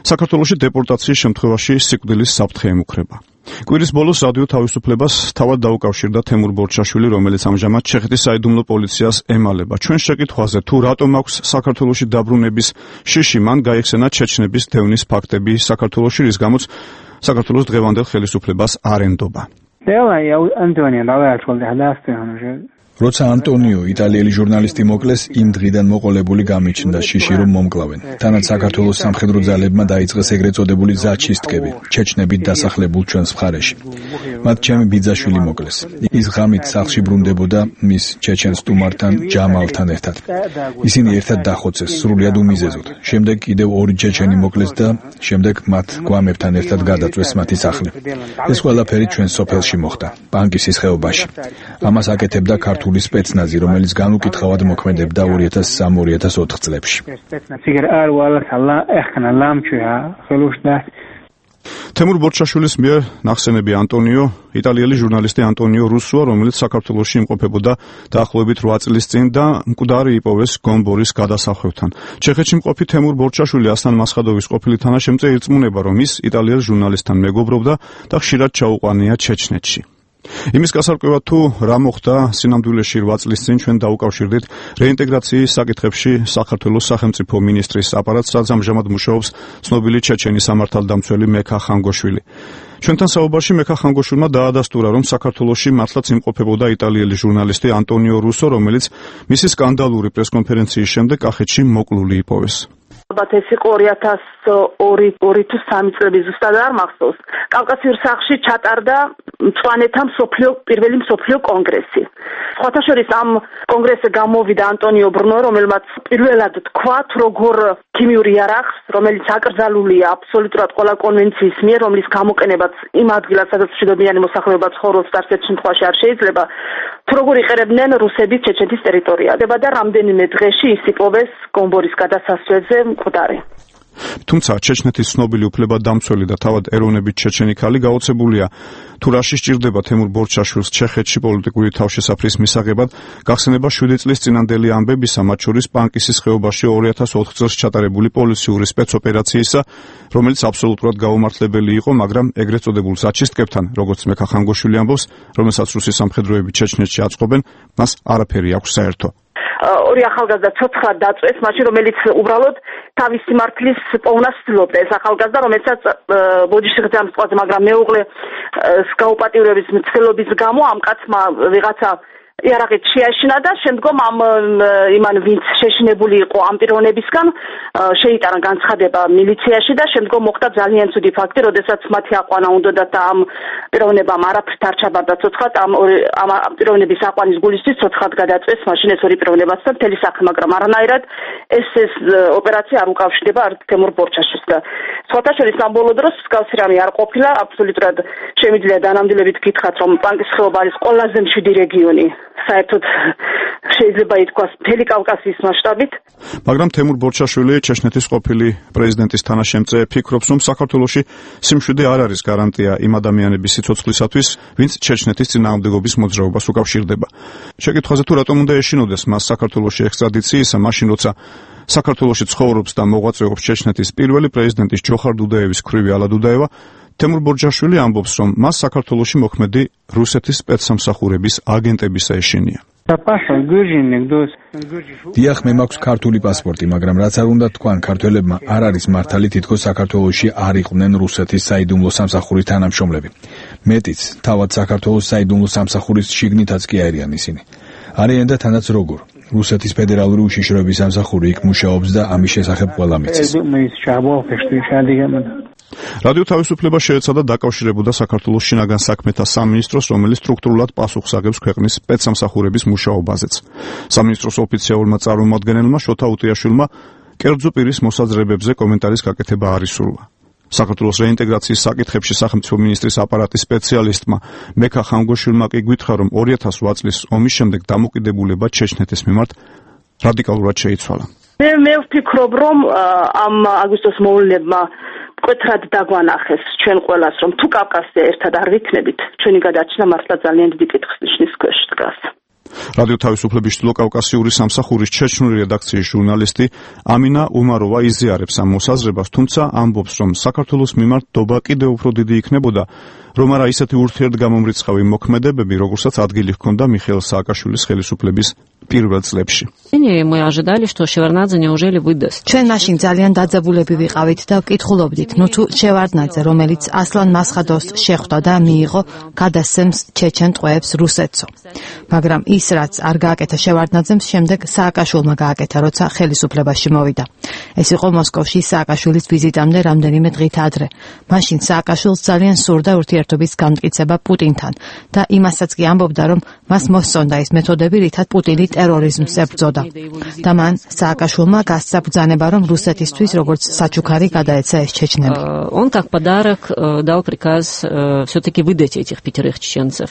საქართველოში დეპორტაციის შემთხვევაში სიკვდილის საფრთხე ემუქრება. კვირის ბოლოს რადიო თავისუფლებას თავად დაუკავშირდა თემურ ბორჩაშვილი, რომელიც ამჟამად ჩეხეთის საიდუმლო პოლიციას ემალება. ჩვენ შეკითხვაზე, თუ რატომ აქვს საქართველოში დაბრუნების შიში, მან გაიხსენა ჩეჩნების დევნის ფაქტები საქართველოში, რის გამოც საქართველოს დღევანდელ ხელისუფლებას არ ენდობა. როცა ანტონიო, იტალიელი ჟურნალისტი მოკლეს, იმ დღიდან მოყოლებული გამიჩნდა შიში, რომ მომკლავენ. თანაც საქართველოს სამხედრო ძალებმა დაიწყეს ეგრეთ წოდებული ზაჩისტკები, ჩეჩნებით დასახლებულ ჩვენს მხარეში. მათ ჩემი ბიძაშვილი მოკლეს. ის ღამით სახლში ბრუნდებოდა მის ჩეჩენ სტუმართან ჯამალთან ერთად. ისინი ერთად დახოცეს, სრულიად უმიზეზოდ. შემდეგ კიდევ ორი ჩეჩენი მოკლეს და შემდეგ მათ გვამებთან ერთად გადაწვეს მათი სახლი. ეს ყველაფერი ჩვენ სოფელში მოხდა, პანკისის ხეობაში. ამას აკეთებდა ქართული სპეცნაზი, რომელიც განუკითხავად მოქმედებდა 2003-2004 წლებში. თემურ ბორჩაშვილის მიერ ნახსენები ანტონიო, იტალიელი ჟურნალისტი ანტონიო რუსოა, რომელიც საქართველოში იმყოფებოდა დაახლოებით 8 წლის წინ და მკვდარი იპოვეს გომბორის გადასახვევთან. ჩეხეთში მყოფი თემურ ბორჩაშვილი ასლან მასხადოვის ყოფილი თანაშემწე ირწმუნება, რომ ის იტალიელ ჟურნალისტთან მეგობრობდა და ხშირად ჩაუყვანია ჩეჩნეთში. იმის გასარკვევად თუ რა მოხდა სინამდვილეში 8 წლის წინ, ჩვენ დაუკავშირდით რეინტეგრაციის საკითხებში საქართველოს სახელმწიფო მინისტრის აპარატს, რაც ამჟამად მუშაობს ცნობილი ჩეჩენი სამართალდამცველი მექა ხანგოშვილი. ჩვენთან საუბარში მექა ხანგოშვილმა დაადასტურა, რომ საქართველოში მართლაც იმყოფებოდა იტალიელი ჟურნალისტი ანტონიო რუსო, რომელიც მისი სკანდალური პრესკონფერენციის შემდეგ კახეთში მოკლული იპოვეს. ალბათ ეს იყო 2002 თუ 3 წლები, ზუსტად არ მახსოვს. კავკასიურ სახლში ჩატარდა მწვანეთა პირველი მსოფლიო კონგრესი. სხვათა შორის ამ კონგრესზე გამოვიდა ანტონიო ბრუნო, რომელმაც პირველად თქვა, როგორ ქიმიური იარაღს, რომელიც აკრძალულია აბსოლუტურად ყველა კონვენციის მიერ, რომლის გამოყენებაც იმ ადგილას, სადაც მშვიდობიანი მოსახლეობა ცხოვრობს და არც შემთხვევაში არ შეიძლება, თუ როგორ იყერებდნენ რუსები ჩეჩეთის ტერიტორიაზე და რამდენიმე დღეში ის იპოვეს გომბორის გადასასვლელზე მკვდარი. თუმცა ჩეჩნეთის ცნობილი უფლებადამცველი და თავად ეროვნებით ჩეჩენი ქალი გაოცებულია თუ რაში სჭირდება თემურ ბორჩაშვილს ჩეხეთში პოლიტიკური თავშესაფრის მისაღებად გახსენება 7 წლის წინანდელი ამბებისა, მათ შორის პანკისის ხეობაში 2004 წელს ჩატარებული პოლიციური სპეცოპერაციისა, რომელიც აბსოლუტურად გაუმართლებელი იყო, მაგრამ ეგრეთ წოდებულ საჩისტკებთან, როგორც მექა ხანგოშვილი ამბობს, რომელსაც რუსის სამხედროები ჩეჩნეთში აწყობენ, მას არაფერი აქვს საერთო. ორი ახალგაზრდა ცოცხლად დაწვეს, მაშინ რომელიც უბრალოდ თავის სიმართლის პოვნას ცდილობდა. ეს ახალგაზრდა, რომელსაც ბოდიში ღამსწყვალზე, მაგრამ მეუღლე გაუპატიურების მცდელობის გამო ამ კაცმა ვიღაცა იარაღით შეაშინა და შემდგომ იმან ვინც შეშინებული იყო ამ პიროვნებისგან შეიტანა განცხადება მილიციაში და შემდგომ მოხდა ძალიან ცუდი ფაქტი, როდესაც მათი აყვანა უნდათ და ამ პიროვნებამ არაფრით არ ჩაბარდა ცოცხლად, ამ პიროვნების აყვანის გულისთვის ცოცხლად გადაწვეს მაშინ ეს ორი პიროვნებაც და მთელი სახე, მაგრამ არანაირად ეს ოპერაცია არ უკავშირდება თემურ ბორჩაშვილს და სხვათა შორის ამ ბოლო დროს მსგავსი რამე არ ყოფილა, აბსოლუტურად შემიძლია დანამდვილებით გითხრათ, რომ პანკის ხეობა არის ყველაზე მშვიდი რეგიონი საერთოდ შეიძლება ითქვას მთელი კავკასიის მასშტაბით. მაგრამ თემურ ბორჩაშვილი ჩეჩნეთის ყოფილი პრეზიდენტის თანაშემწე ფიქრობს, რომ საქართველოში სიმშვიდე არ არის გარანტია იმ ადამიანების სიცოცხლისათვის, ვინც ჩეჩნეთის წინააღმდეგობის მოძრაობას უკავშირდება. შეკითხვაზე თუ რატომ უნდა ეშინოდეს მას საქართველოში ექსტრადიციისა, მაშინ როცა საქართველოში ცხოვრობს და მოღვაწეობს ჩეჩნეთის პირველი პრეზიდენტის ჯოხარ დუდაევის ქვრივი ალა დუდაევა, თემურ ბორჩაშვილი ამბობს, რომ მას საქართველოში მოქმედი რუსეთის სპეცსამსახურების აგენტებისა ეშინია. დიახ, მე მაქვს ქართული პასპორტი, მაგრამ რაც არ უნდა თქვან, ქართველებმა არ არის მართალი თითქოს საქართველოში არ იყვნენ რუსეთის საიდუმლო სამსახურის თანამშრომლები. მეტიც, თავად საქართველოს საიდუმლო სამსახურის შიგნითაც კი არიან ისინი. არიან და თანაც როგორ. რუსეთის ფედერალური უშიშროების სამსახური იქ მუშაობს და ამის შესახებ ყველა მიცის. რადიო თავისუფლება შეეცადა დაკავშირებოდა საქართველოს შინაგან საქმეთა სამინისტროს, რომელიც სტრუქტურულად პასუხს აგებს ქვეყნის სპეცსამსახურების მუშაობაზეც. სამინისტროს ოფიციალურმა წარმომადგენელმა შოთა უტიაშვილმა კერძო პირის მოსაზრებებზე კომენტარის გაკეთება არ ისურვა. საქართველოს რეინტეგრაციის საკითხებში სახელმწიფო მინისტრის აპარატის სპეციალისტმა მექა ხანგოშვილმა კი გვითხრა, რომ 2008 წლის ომის შემდეგ დამოკიდებულება ჩეჩნეთის მიმართ რადიკალურად შეიცვალა. მე ვფიქრობ, რომ ამ აგვისტოს მოვლენებმა მკვეთრად დაგვანახეს ჩვენ ყველას, რომ თუ კავკასია ერთად არ ვიქნებით, ჩვენი გადაჭრა მართლა ძალიან დიდი კითხვის ნიშნის ქვეშ დგას. რადიო თავისუფლების ჩრდილოკავკასიური სამსახურის ჩეჩნური რედაქციის ჟურნალისტი ამინა უმაროვა იზიარებს ამ მოსაზრებას, თუმცა ამბობს, რომ საქართველოს მიმართ დობა კიდევ უფრო დიდი იქნებოდა, რომ არა ისეთი ურთიერთგამომრიცხავი მოქმედებები, როგორცაც ადგილი ჰქონდა მიხეილ სააკაშვილის ხელისუფლების პირველ წლებში. ჩვენ მაშინ ძალიან დაძაბულები ვიყავით და ვკითხულობდით, თუ შევარდნაძე, რომელიც ასლან მასხადოვს შეხვდა და მიიღო გადასცემს ჩეჩენ ტყვეებს რუსეთსო. მაგრამ ის რაც არ გააკეთა შევარდნაძემ, შემდეგ სააკაშვილმა გააკეთა, როცა ხელისუფლებაში მოვიდა. ეს იყო მოსკოვში სააკაშვილის ვიზიტამდე რამდენიმე დღით ადრე. მაშინ სააკაშვილს ძალიან სურდა ურთიერთობის განმტკიცება პუტინთან და იმასაც კი ამბობდა, რომ მას მოსწონდა ის მეთოდები, რითაც პუტინი ტერორიზმს ებრძოდა. და მან სააკაშვილმა გასცა ბრძანება, რომ რუსეთისთვის როგორც საჩუქარი გადაეცა ეს ჩეჩნები. Он как подарок дал приказ всё-таки выдать этих 5 чеченцев.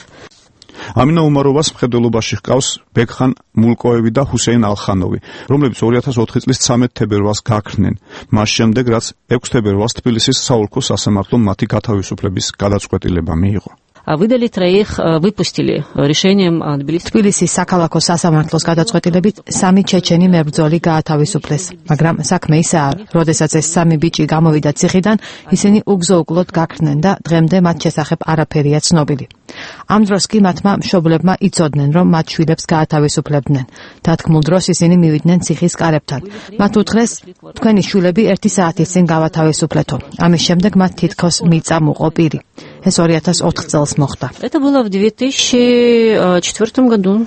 ამინა უმაროვას მხედველობაში ჰყავს ბეკხან მულკოევი და ჰუსეინ ალხანოვი, რომლებიც 2004 წლის 13 თებერვალს გაქრნენ, მას შემდეგ რაც 6 თებერვალს თბილისის საოლქო სასამართლომ მათი გათავისუფლების გადაწყვეტილება მიიღო. Выдали 3, выпустили решением თბილისის საქალაქო სასამართლოს გადაწყვეტილებით 3 ჩეჩენი მებრძოლი გაათავისუფლეს, მაგრამ საქმე ისაა, როდესაც ეს 3 ბიჭი გამოვიდა ციხიდან, ისინი უგზო-უკვლოდ გაქრნენ და დღემდე მათ შესახებ არაფერია ცნობილი. ამ დროს კი მათმა მშობლებმა იცოდნენ, რომ მათ შვილებს გაათავისუფლებდნენ. დათქმულ დროს ისინი მივიდნენ ციხის კარებთან. მათ უთხრეს, თქვენი შვილები 1 საათის წინ გავათავისუფლეთო. ამის შემდეგ მათ თითქოს მიწა მოყო პირი. ეს 2004 წელს მოხდა. Это было в 2004 году.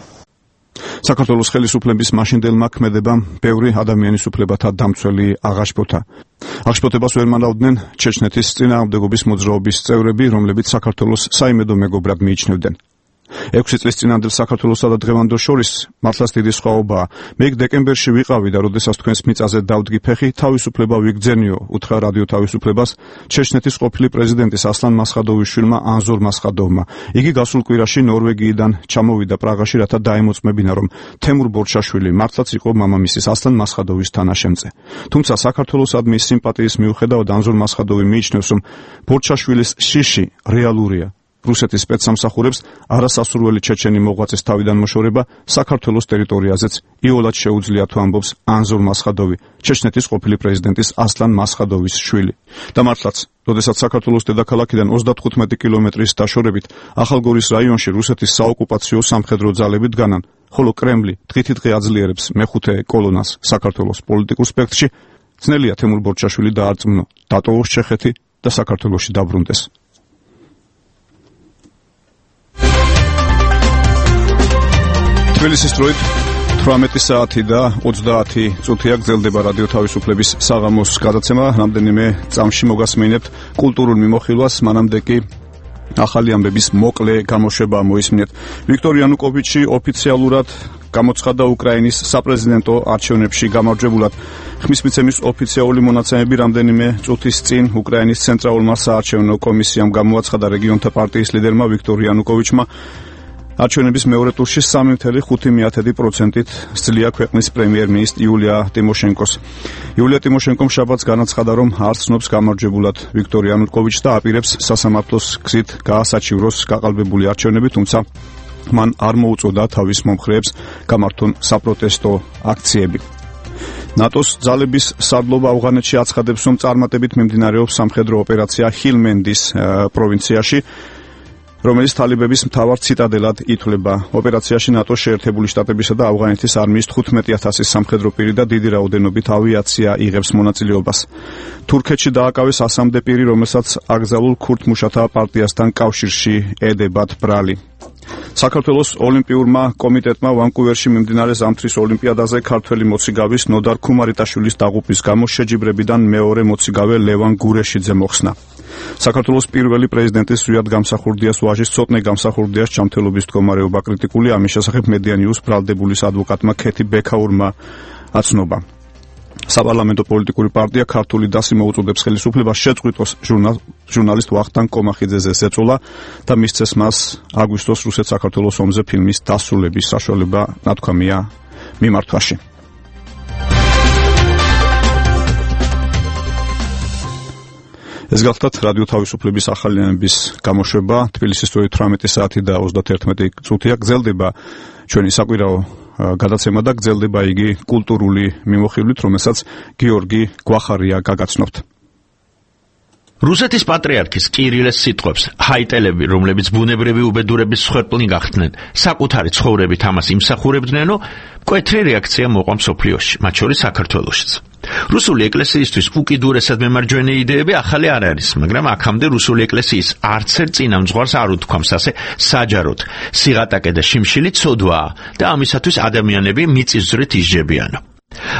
საქართველოს ხელისუფლების მაშინდელმა ქმედებამ ბევრი ადამიანის უფლებათა დამცველი აღაშფოთა. აღშფოთებას ვერ მანავდნენ ჩეჩნეთის წინააღმდეგობის მოძრაობის წევრები, რომლებიც საქართველოს საიმედო მეგობრად მიიჩნევდნენ. 6 წლის წინანდელ საქართველოსა და დღევანდელ შორის მართლაც დიდი სხვაობაა. მე დეკემბერში ვიყავი და როდესაც თქვენს მიწაზე დავდგი ფეხი, თავისუფლება ვიგძენიო, უთხრა რადიო თავისუფლებას ჩეჩნეთის ყოფილი პრეზიდენტის ასლან მასხადოვის შვილმა ანზორ მასხადოვმა. იგი გასულ კვირაში ნორვეგიიდან ჩამოვიდა პრაღაში, რათა დაემოწმებინა, რომ თემურ ბორჩაშვილი მართლაც იყო მამამისის ასლან მასხადოვის თანაშემწე. თუმცა საქართველოსადმი სიმპათიის მიუხედავად ანზორ მასხადოვი მიიჩნევს, რომ ბორჩაშვილის შიში რეალურია. რუსეთის სპეცსამსახურებს არასასურველი ჩეჩენი მოღვაწეს თავიდან მოშორება საქართველოს ტერიტორიაზეც იოლად შეუძლია თუ ამბობს ანზორ მასხადოვი, ჩეჩნეთის ყოფილი პრეზიდენტის ასლან მასხადოვის შვილი. და მართლაც, როდესაც საქართველოს დედაქალაქიდან 35 კილომეტრის დაშორებით ახალგორის რაიონში რუსეთის საოკუპაციო სამხედრო ძალები დგანან, ხოლო კრემლი დღითიდღე აძლიერებს მეხუთე კოლონას საქართველოს პოლიტიკურ სპექტრში, ძნელია თემურ ბორჩაშვილი დაარწმუნო, დატოვოს ჩეხეთი და საქართველოში დაბრუნდეს. თბილისის დროით 18 საათი და 30 წუთია გრძელდება რადიო თავისუფლების საღამოს გადაცემა. რამდენიმე წამში მოგასმენებთ კულტურულ მიმოხილვას, მანამდე კი ახალი ამბების მოკლე გამოშვება მოისმინეთ. ვიქტორ იანუკოვიჩი ოფიციალურად გამოცხადდა უკრაინის საპრეზიდენტო არჩევნებში გამარჯვებულად. ხმის მიცემის ოფიციალური მონაცემები რამდენიმე წუთის წინ უკრაინის ცენტრალურმა საარჩევნო კომისიამ გამოაცხადა რეგიონთა პარტიის ლიდერმა ვიქტორ იანუკოვიჩმა არჩევნების მეორე ტურში 3.5%-ით სძლია ქვეყნის პრემიერ-მინისტრ იულია ტიმოშენკოს. იულია ტიმოშენკომ შაბათს განაცხადა, რომ არ ცნობს გამარჯვებულად ვიქტორ იანუკოვიჩს და აპირებს სასამართლოს გზით გაასაჩივროს გაყალბებული არჩევნები, თუმცა მან არ მოუწოდა თავის მომხრეებს გამართონ საპროტესტო აქციები. ნატოს ძალების სარდლობა ავღანეთში აცხადებს, რომ წარმატებით მიმდინარეობს სამხედრო ოპერაცია ჰილმენდის პროვინციაში, რომელიც თალიბების მთავარ ციტადელად ითვლება. ოპერაციაში ნატოს შეერთებული შტატებისა და ავღანეთის არმიის 15,000 სამხედრო პირი და დიდი რაოდენობით ავიაცია იღებს მონაწილეობას. თურქეთში დააკავეს 100-მდე პირი, რომელსაც აკრძალულ ქურთ მუშათა პარტიასთან კავშირში ედებათ ბრალი. საქართველოს ოლიმპიურმა კომიტეტმა ვანკუვერში მიმდინარე ზამთრის ოლიმპიადაზე ქართველი მოციგავის ნოდარ ქუმარიტაშვილის დაღუპვის გამო შეჯიბრებიდან მეორე მოციგავე ლევან გურეშიძე მოხსნა. საქართველოს პირველი პრეზიდენტის ზვიად გამსახურდიას ვაჟის ცოტნე გამსახურდიას ჯანმრთელობის მდგომარეობა კრიტიკული, ამის შესახებ მედიანიუს ბრალდებულის ადვოკატმა ქეთი ბექაურმა აცნობა. საპარლამენტო პოლიტიკური პარტია ქართული დასი მოუწოდებს ხელისუფლებას შეწყვიტოს ჟურნალისტ ვახტანგ კომახიძეზე ზეწოლა და მისცეს მას აგვისტოს რუსეთ-საქართველოს ომზე ფილმის დასრულების საშუალება, ნათქვამია მიმართვაში. ეს გახლდათ რადიო თავისუფლების ახალი ამბების გამოშვება. თბილისის დროით 18 საათი და 31 წუთია გრძელდება ჩვენი საკვირაო გადაცემა და გრძელდება იგი კულტურული მიმოხილვით, რომელსაც გიორგი გვახარია გაგაცნობთ. რუსეთის პატრიარქის კირილეს სიტყვებს ჰაიტელები, რომლებიც ბუნებრივი უბედურების მსხვერპლნი გახდნენ, საკუთარი ცხოვრებით ამას იმსახურებდნენო, მკვეთრი რეაქცია მოყვა მსოფლიოში, მათ შორის საქართველოშიც. რუსული ეკლესიისთვის უკიდურესად მემარჯვენე იდეები ახალი არ არის, მაგრამ აქამდე რუსული ეკლესიის არცერთ წინამძღვარს არ უთქვამს ასე საჯაროდ. სიღატაკე და შიმშილი ცოდვაა და ამისათვის ადამიანები მიწისძვრით ისჯებიანო.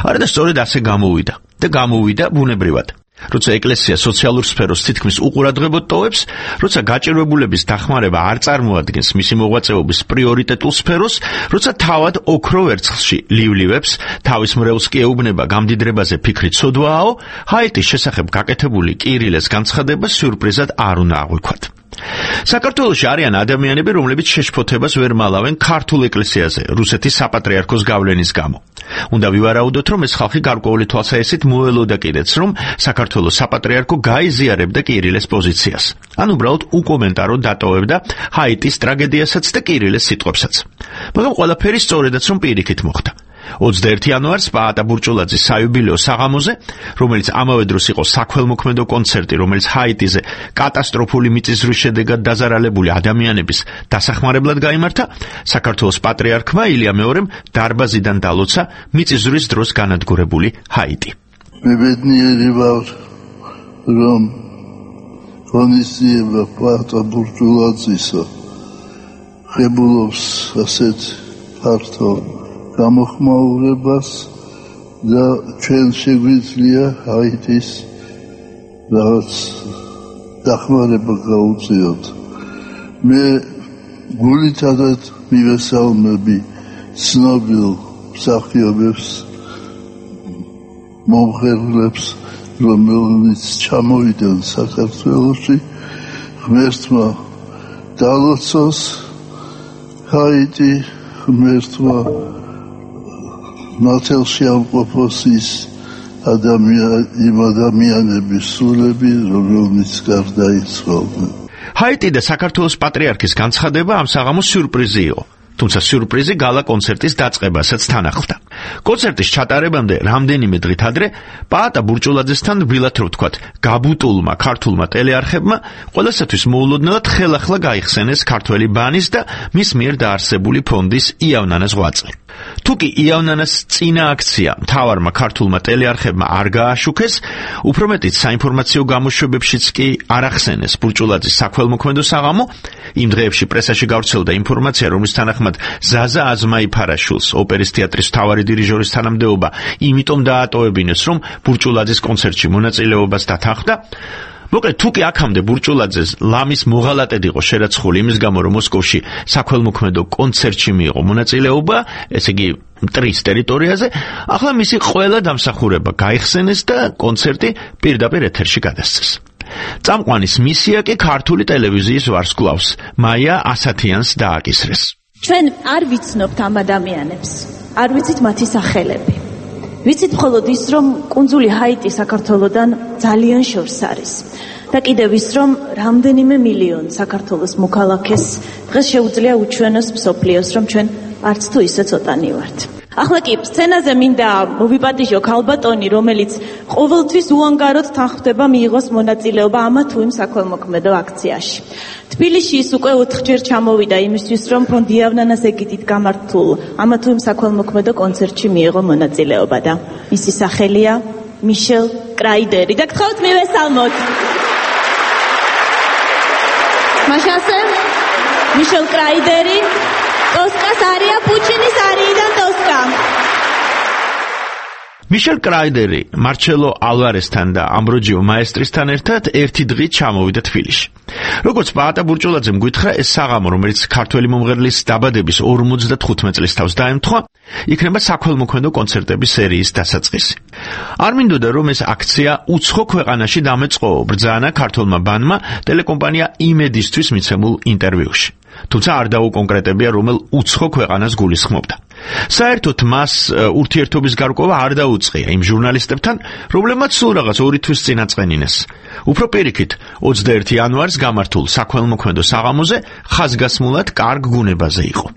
არა და სწორედ ასე გამოვიდა ბუნებრივად. როცა ეკლესია სოციალურ სფეროს თითქმის უყურადღებოდ ტოვებს, როცა გაჭირვებულების დახმარება არ წარმოადგენს მისი მოღვაწეობის პრიორიტეტულ სფეროს, როცა თავად ოქრო ვერცხლში ლივლივებს, თავის მრევლს კი ეუბნება გამდიდრებაზე ფიქრი ცოდვააო, ჰაიტის შესახებ გაკეთებული კირილეს განცხადება სიურპრიზად არ უნდა აღვიქვათ. საქართველოში არიან ადამიანები, რომლებიც შეშფოთებას ვერ მალავენ ქართულ ეკლესიაზე რუსეთის საპატრიარქოს გავლენის გამო. უნდა ვივარაუდოთ, რომ ეს ხალხი გარკვეული თვალსაჩინით მოელოდა კიდეც, რომ საქართველოს საპატრიარქო გაიზიარებდა კირილეს პოზიციას. ან უბრალოდ უკომენტაროდ დატოვებდა ჰაიტის ტრაგედიასაც და კირილეს სიტყვებსაც. მაგრამ ყველაფერი სწორედაც რომ პირიქით მოხდა. 21 იანვარს პაატა ბურჭულაძის საიუბილეო საღამოზე, რომელიც ამავე დროს იყო საქველმოქმედო კონცერტი, რომელიც ჰაიტიზე კატასტროფული მიწისძვრის შედეგად დაზარალებული ადამიანების დასახმარებლად გაიმართა, საქართველოს პატრიარქმა ილია მეორემ დარბაზიდან დალოცა მიწისძვრის დროს განადგურებული ჰაიტი. მე ბედნიერი ვარ, რომ ღონისძიება პაატა ბურჭულაძისა ხებულობს ასეთ ფართო გამოხმაურებას და ჩვენ შეგვიძლია ჰაიტის რაღაც დახმარება გაუწიოთ. მე გულითადად მივესალმები ცნობილ მსახიობებს, მომღერლებს, რომელიც ჩამოვიდნენ საქართველოში, ღმერთმა დალოცოს ჰაიტი, ღმერთმა ნათელში ამყოფოს იმ ადამიანების სულები, რომელნიც გარდაიცვალნენ. ჰაიტი და საქართველოს პატრიარქის განცხადება ამ საღამოს სიურპრიზი იყო. თუმცა სიურპრიზი გალა კონცერტის დაწყებასაც თან ახლდა. კონცერტის ჩატარებამდე რამდენიმე დღით ადრე პაატა ბურჭულაძესთან რბილად რო ვთქვათ, გაბუტულმა ქართულმა ტელეარხებმა ყველასათვის მოულოდნელად ხელახლა გაიხსენეს ქართველი ბანის და მის მიერ დაარსებული ფონდის იავნანას ღვაწლი. თუკი იავნანას წინა აქცია მთავარმა ქართულმა ტელეარხებმა არ გააშუქეს, უფრო მეტიც საინფორმაციო გამოშვებებშიც კი არ ახსენეს ბურჭულაძის საქველმოქმედო საღამო, იმ დღეებში პრესაში გავრცელდა ინფორმაცია, რომლის თანახმად ზაზა აზმაიფარაშვილს, ოპერის თეატრის მთავარი დირიჟორის თანამდებობა, იმიტომ დაატოვებინეს, რომ ბურჭულაძის კონცერტში მონაწილეობას დათანხმდა. მოკლედ, თუკი აქამდე ბურჭულაძეს ლამის მოღალატედ იყო შერაცხული იმის გამო, რომ მოსკოვში საქველმოქმედო კონცერტში მიიღო მონაწილეობა, ესე იგი მტრის ტერიტორიაზე, ახლა მისი ყველა დამსახურება გაიხსენეს და კონცერტი პირდაპირ ეთერში გადასცეს. წამყვანის მისია კი ქართული ტელევიზიის ვარსკვლავს, მაია ასათიანს დააკისრეს. ჩვენ არ ვიცნობთ ამ ადამიანებს, არ ვიცით მათი სახელები. ვიცით მხოლოდ ის, რომ კუნძული ჰაიტი საქართველოდან ძალიან შორს არის. და კიდევ ის, რომ რამდენიმე მილიონი საქართველოს მოქალაქეს დღეს შეუძლია უჩვენოს მსოფლიოს, რომ ჩვენ არც თუ ისე ცოტანი ვართ. ახლა კი სცენაზე მინდა მოვიპატიჟო ქალბატონი, რომელიც ყოველთვის უანგაროდ თანხმდება მიიღოს მონაწილეობა ამა თუ იმ საქველმოქმედო აქციაში. თბილისში ის უკვე 4-ჯერ ჩამოვიდა იმისთვის, რომ ფონდი იავნანას ეგიდით გამართულ ამა თუ იმ საქველმოქმედო კონცერტში მიიღო მონაწილეობა და მისი სახელია მიშელ კრაიდერი. და გთხოვთ მივესალმოთ. მაშასე მიშელ კრაიდერი ტოსკას არია პუჩინის არიიდან ტოსკა. მიშელ კრაიდერი მარჩელო ალვარესთან და ამბროჯიო მაესტრისთან ერთად ერთი დღით ჩამოვიდა თბილისში. როგორც პაატა ბურჭულაძემ გითხრა, ეს საღამო, რომელიც ქართველი მომღერლის დაბადების 55 წლის თავს დაემთხვა, იქნება საქველმოქმედო კონცერტების სერიის დასაწყისი. არ მინდოდა, რომ ეს აქცია უცხო ქვეყანაში დამეწყო, ბრძანა ქართულმა ბანმა ტელეკომპანია იმედისთვის მიცემულ ინტერვიუში. თუმცა არ დაუკონკრეტებია, რომელ უცხო ქვეყანას გულისხმობდა. საერთოდ მას ურთიერთობის გარკვევა არ დაუწყია იმ ჟურნალისტებთან, რომლებმაც სულ რაღაც 2 თვის წინ აწყენინეს. უფრო პირიქით, 21 იანვარს გამართულ საქველმოქმედო საღამოზე ხაზგასმულად კარგ გუნებაზე იყო.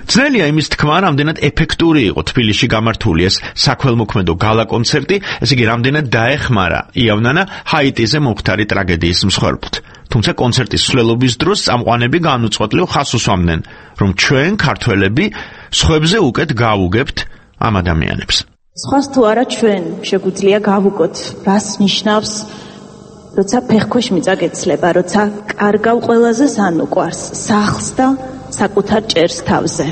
ძნელია იმის თქმა, რამდენად ეფექტური იყო თბილისში გამართული ეს საქველმოქმედო გალა კონცერტი, ესე იგი რამდენად დაეხმარა იავნანა ჰაიტიზე მომხდარი ტრაგედიის მსხვერპლთ. თუმცა კონცერტის მსვლელობის დროს წამყვანები განუწყვეტლივ ხაზს უსვამდნენ, რომ ჩვენ ქართველები სხვებზე უკეთ გავუგებთ ამ ადამიანებს. სხვას თუ არა ჩვენ შეგვიძლია გავუგოთ, რას ნიშნავს, როცა ფეხქვეშ მიწა გეცლება, როცა კარგავ ყველაზე სანუკვარს, სახლს და საკუთარ ჭერს თავზე.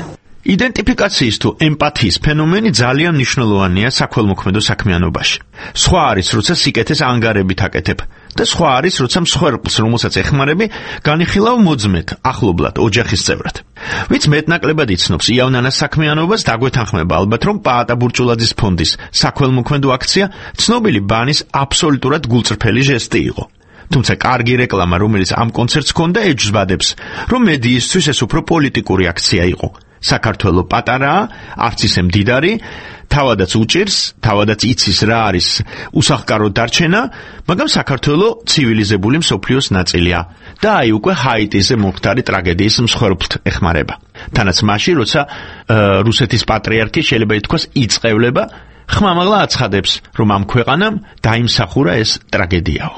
იდენტიფიკაციის თუ ემპათიის ფენომენი ძალიან მნიშვნელოვანია საქველმოქმედო საქმიანობაში. სხვა არის, როცა სიკეთეს ანგარებით აკეთებ და სხვა არის, როცა მსხვერპლს, რომელსაც ეხმარები, განიხილავ მოძმეთ, ახლობლად, ოჯახის წევრად. ვინც მეტნაკლებად იცნობს იავნანას საქმიანობას, დაგვეთანხმება ალბათ, რომ პაატა ბურჭულაძის ფონდის საქველმოქმედო აქცია ცნობილი ბანის აბსოლუტურად გულწრფელი ჟესტი იყო. თუმცა კარგი რეკლამა, რომელიც ამ კონცერტს ჰქონდა, ეჯზბადებს, რომ მედიისთვის ეს უფრო პოლიტიკური აქცია იყო. საქართველო პატარაა, არც ისე მდიდარი, თავადაც უჭირს, თავადაც იცის რა არის უსახკარო დარჩენა, მაგრამ საქართველო ცივილიზებული მსოფლიოს ნაწილია და აი უკვე ჰაიტიზე მომხდარი ტრაგედიის მსხვერპლთ ეხმარება. თანაც მაშინ, როცა რუსეთის პატრიარქი შეიძლება ითქვას იწევლება, ხმამაღლა აცხადებს, რომ ამ ქვეყანამ დაიმსახურა ეს ტრაგედიაო.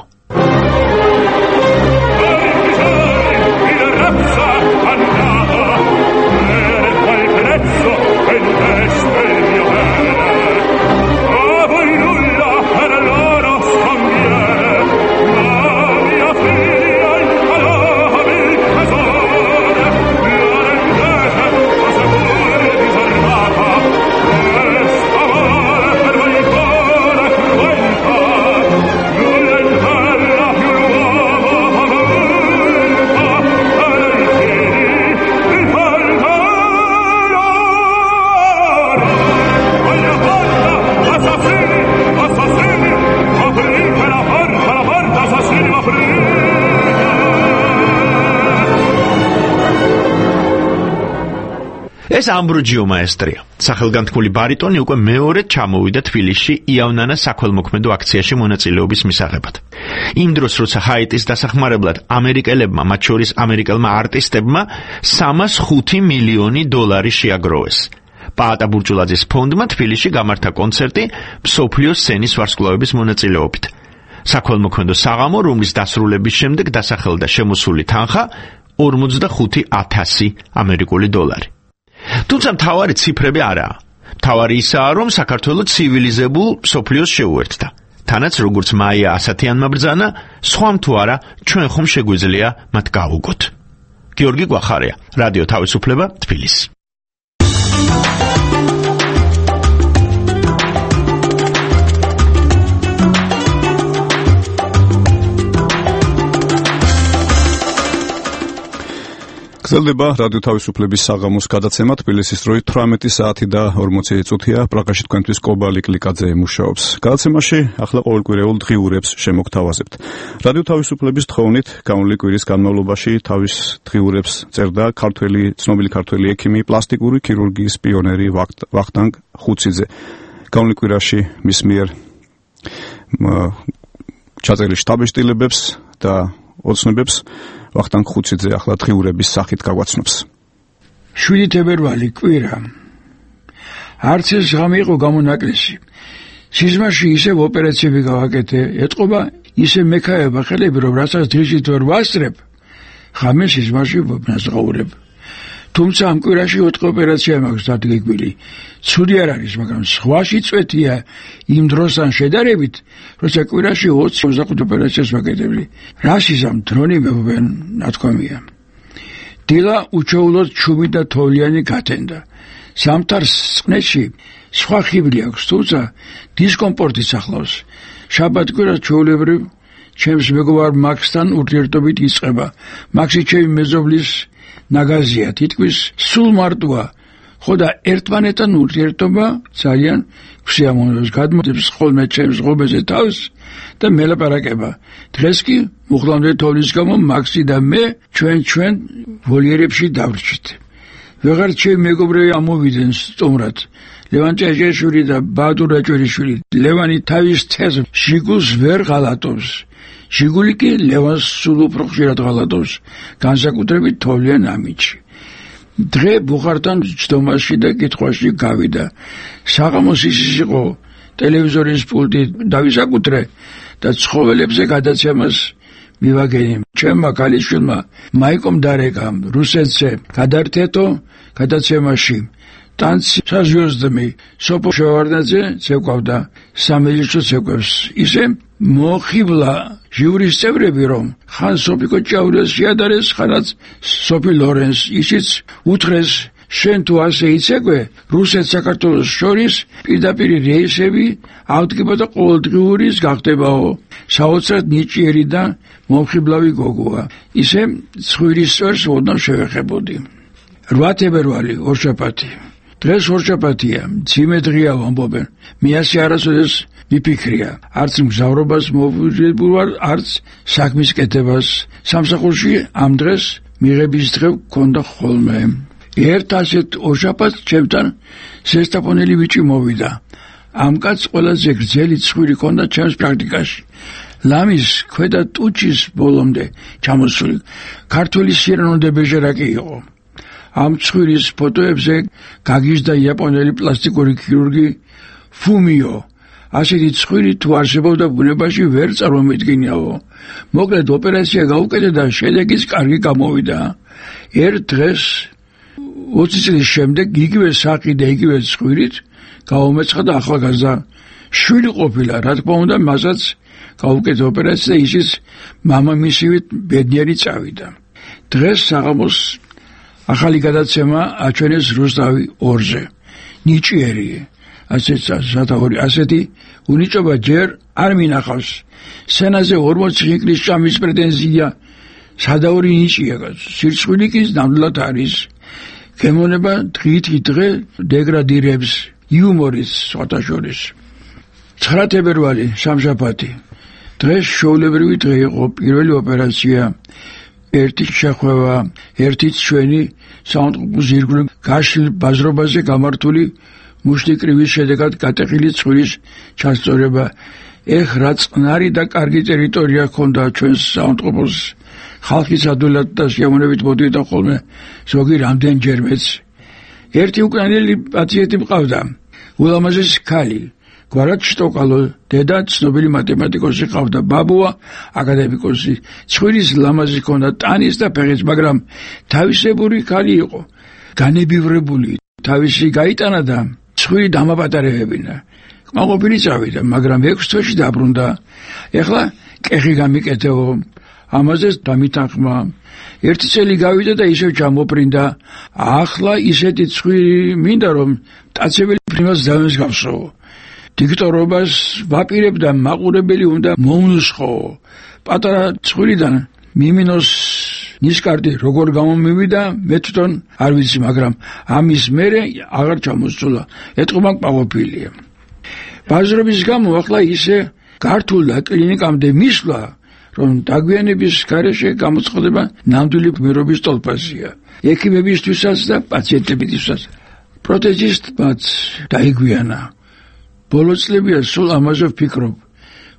ეს ამბროჯიო მაესტრია. სახელგანთქმული ბარიტონი უკვე მეორედ ჩამოვიდა თბილისში იავნანა საქველმოქმედო აქციაში მონაწილეობის მისაღებად. იმ დროს, როცა ჰაიტის დასახმარებლად ამერიკელებმა, მათ შორის ამერიკელმა არტისტებმა 305 მილიონი დოლარი შეაგროვეს. პაატა ბურჭულაძის ფონდმა თბილისში გამართა კონცერტი მსოფლიო სცენის ვარსკვლავების მონაწილეობით. საქველმოქმედო საღამო, რომლის დასრულების შემდეგ დასახელდა შემოსული თანხა 45,000 ამერიკული დოლარი. თუმცა მთავარი ციფრები არაა. მთავარი ისაა, რომ საქართველო ცივილიზებულ მსოფლიოს შეუერთდა. თანაც როგორც მაია ასათიანმა ბრძანა, სხვამ თუ არა, ჩვენ ხომ შეგვიძლია მათ გავუგოთ. გიორგი გვახარია, რადიო თავისუფლება, თბილისი. გრძელდება რადიო თავისუფლების საღამოს გადაცემა თბილისის დროით 18 საათი და 40 წუთია. პრაღაში თქვენთვის კობალი კლიკაძე მუშაობს. გადაცემაში ახლა ყოველკვირეულ დღიურებს შემოგთავაზებთ. რადიო თავისუფლების თხოვნით გამოვლილი კვირის განმავლობაში თავის დღიურებს წერდა ცნობილი ქართველი ექიმი, პლასტიკური ქირურგიის პიონერი ვახტანგ ხუციძე. გამოვლილი კვირაში მის მიერ ჩაწერილი შტაბეშტილებებს და ოცნებებს ვახტანგ ხუციძე ახლა დღიურების სახით გაგვაცნობს. 7 თებერვალი კვირა. არც ეს ღამე იყო გამონაკლისი. სიზმარში ისევ ოპერაციები გავაკეთე, ეთყობა ისე მექაება ხელები, რომ რასაც დღისით ვერ ვასწრებ, ღამე სიზმარში ვნაზღაურებ. თუმცა ამ კვირაში 4 ოპერაცია მაქვს დადგმილი. ცუდი არ არის, მაგრამ სხვაში წვეთია იმ დროსთან შედარებით, როცა კვირაში 20-25 ოპერაციას ვაკეთებდი. რასიზამ დრონი მევობენ, ნათქვამია. დილა უჩვეულოდ ჩუმი და თოვლიანი გათენდა. ზამთარს წყნეთში სხვა ხიბლი აქვს, თუმცა დისკომფორტიც ახლავს. შაბათ-კვირას ჩვეულებრივ ჩემს მეგობარ მაქსთან ურთიერთობით იწყება. მაქსი ჩემი მეზობლის ნაგაზია, თითქმის სულ მარტოა. ხო და ერთმანეთთან ურთიერთობა ძალიან გვსიამოვნებს, გადმოდებს ხოლმე ჩემს ღობეზე თავს და მელაპარაკება. დღეს კი მუხლამდე თოვლის გამო მაქსი და მე ჩვენ ვოლიერებში დავრჩით. ვეღარ ჩემი მეგობრები ამოვიდნენ სტუმრად. ლევან ჭეჭეშვილი და ბადურ რაჭვერიშვილი. ლევანი თავის თეზ შიგულს ვერ ღალატობს. შიგული კი ლევანს სულ უფრო ხშირად ღალატობს, განსაკუთრებით თოვლიან ამინდში. დღე ბუხართან ჯდომაში და კითხვაში გავიდა. საღამოს ის იყო ტელევიზორის პულტი დავისაკუთრე და ცხოველებზე გადაცემას მივაგენი. ჩემმა ქალიშვილმა მაიკომ დარეკამ რუსეთზე გადართეთო გადაცემაში. ტანცი საზვიოზდმი სოფო შევარდნაძე ცეკვავდა სამელიჩო ცეკვებს. ისე მოხიბლა ჟიურის წევრები, რომ ხან სოფიკო ჭაურიას შეადარეს, ხანაც სოფი ლორენს. ისიც უთხრეს, შენ თუ ასე იცეკვე, რუსეთ საქართველოს შორის პირდაპირ რეისები ავდგება და ყოველდღიურის გახდებაო. საოცრად ნიჭიერი და მომხიბლავი გოგოა. ისე ცხვირის წვერს ოდნავ შევეხებოდი. 8 თებერვალი ორშაბათი. დღეს ორშაბათია, მძიმე დღეა ვამბობენ. მე ასე არასოდეს მიფიქრია, არც მგზავრობას მოვუძებულ ვარ, არც საქმის კეთებას. სამსახურში ამ დღეს მიღების დღე გქონდა ხოლმე. ერთ ასეთ ორშაბათს ჩემთან ზესტაფონელი ბიჭი მოვიდა. ამ კაცს ყველაზე გრძელი ცხვირი ჰქონდა ჩემს პრაქტიკაში. ლამის ქვედა ტუჩის ბოლომდე ჩამოსული ქართული სირანოდე ბეჟერაკი იყო. ამ ცხვირის ფოტოებზე გაგიჟდა იაპონელი პლასტიკური ქირურგი ფუმიო. ასეთი ცხვირი თუ არსებობდა ბუნებაში ვერ წარმომედგენიაო. მოკლედ ოპერაცია გაუკეთე და შედეგიც კარგი გამოვიდა. ერთ დღეს 20 წლის შემდეგ იგივე საყი და იგივე ცხვირით გაუმეცხა და ახალგაზრდა შვილი ყოფილა. რა თქმა უნდა, მასაც გაუკეთე ოპერაცია და ისიც მამამისივით ბედნიერი წავიდა. დღეს საღამოს ახალი გადაცემა აჩვენეს რუსთავი 2-ზე. ნიჭიერი ასეთი უნიჭობა ჯერ არ მინახავს. სცენაზე 40 ხინკლის ჭამის პრეტენზია სადაური ნიჭია. სირცხვილი კი ნამდვილად არის. გემონება დღით დღე დეგრადირებს იუმორის სხვათა შორის. 9 თებერვალი სამშაბათი. დღეს შოულებრივი დღე იყო, პირველი ოპერაცია ერთი შეხვევა, ერთიც ჩვენი საავადმყოფოს ირგვლივ გაშლილ ბაზრობაზე გამართული მუშტიკრივის შედეგად გატეხილი ცხვირის ჩასწორება. ეხ რა წყნარი და კარგი ტერიტორია ჰქონდა ჩვენს საავადმყოფოს. ხალხის ადვილად და სიამოვნებით მოდიოდა ხოლმე ზოგი რამდენჯერმეც. ერთი უკრაინელი პაციენტი მყავდა, ულამაზესი ქალი, გვარად შტოკალო, დედა ცნობილი მათემატიკოსი ყავდა, ბაბუა აკადემიკოსი. ცხვირის ლამაზი ჰქონდა ტანის და ფეხის, მაგრამ თავისებური ქალი იყო, განებივრებული. თავისი გაიტანა და ცხვირი დამაპატარებინა. კმაყოფილი წავიდა, მაგრამ 6 თვეში დაბრუნდა. ეხლა კეხი გამიკეთეო, ამაზე დამითანხმა. ერთი წელი გავიდა და ისევ ჩამოფრინდა. ახლა ისეთი ცხვირი მინდა რომ მტაცებელი ფრინველს დამესგავსო. დიქტორობას ვაპირებდა, მაყურებელი უნდა მომნუსხო. პატარა ცხვირიდან მიმინოს ნისკარტი როგორ გამომივიდა, მე თვითონ არ ვიცი, მაგრამ ამის მერე აღარ ჩამოსწულა. ეტყობა კმაყოფილია. ბაზრობის გამო ახლა ისე გართულდა კლინიკამდე მისვლა, რომ დაგვიანების გარეშე გამოწყდება ნამდვილი გმირობის ტოლფაზია. ექიმებისთვისაც და პაციენტებისთვისაც. პროთეზისტმაც დაიგვიანა. ბოლო წლებია სულ ამაზე ვფიქრობ.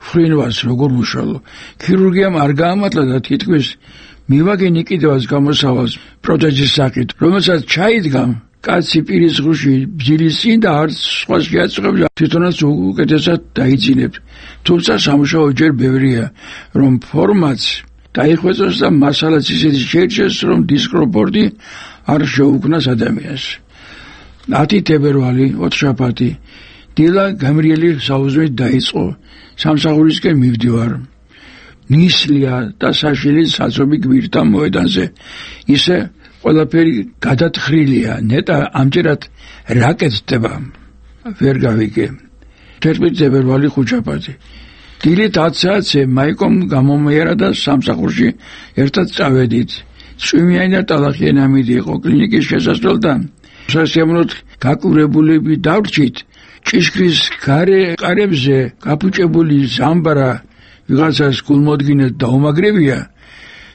ფრინვას როგორ უშალო. ქირურგიამ არ გაამართლა და თითქმის მივაგენი კიდევაც გამოსავალს პროთეზის სახით, რომელსაც ჩაიდგა კაცი პირის ღრუში ბძილის წინ და არც სხვა შეაწყვეტს, თვითონაც უკეთესად დაიძინებს. თუმცა სამუშაო ჯერ ბევრია, რომ ფორმაც დაიხვეწოს და მასალაც ისეთი შეირჩეს, რომ დისკომფორტი არ შეუქმნას ადამიანს. 10 თებერვალი, ოთხშაბათი, დილა გამრიელი საუზმით დაიწყო. სამსახურისკენ მივდივარ. ნისლია და საშილი საწობი გვირთა მოედანზე. ისე ყველაფერი გადათხრილია, ნეტა ამჯერად რაკეთდება. ვერ გავიგე. 11 თებერვალი ხუთშაბათი. დილით 10 საათზე მაიკომ გამომიარა და სამსახურში ერთად წავედით. წვიმიანი და ტალახიანი ამინდი იყო კლინიკის შესასვლელთან. სასიამოვნოდ გაკვირებულები დავრჩით. ჭიშკრის გარე ყარებზე გაფუჭებული ზამბარა ვიღაცას გულმოდგინედ დაუმაგრებია.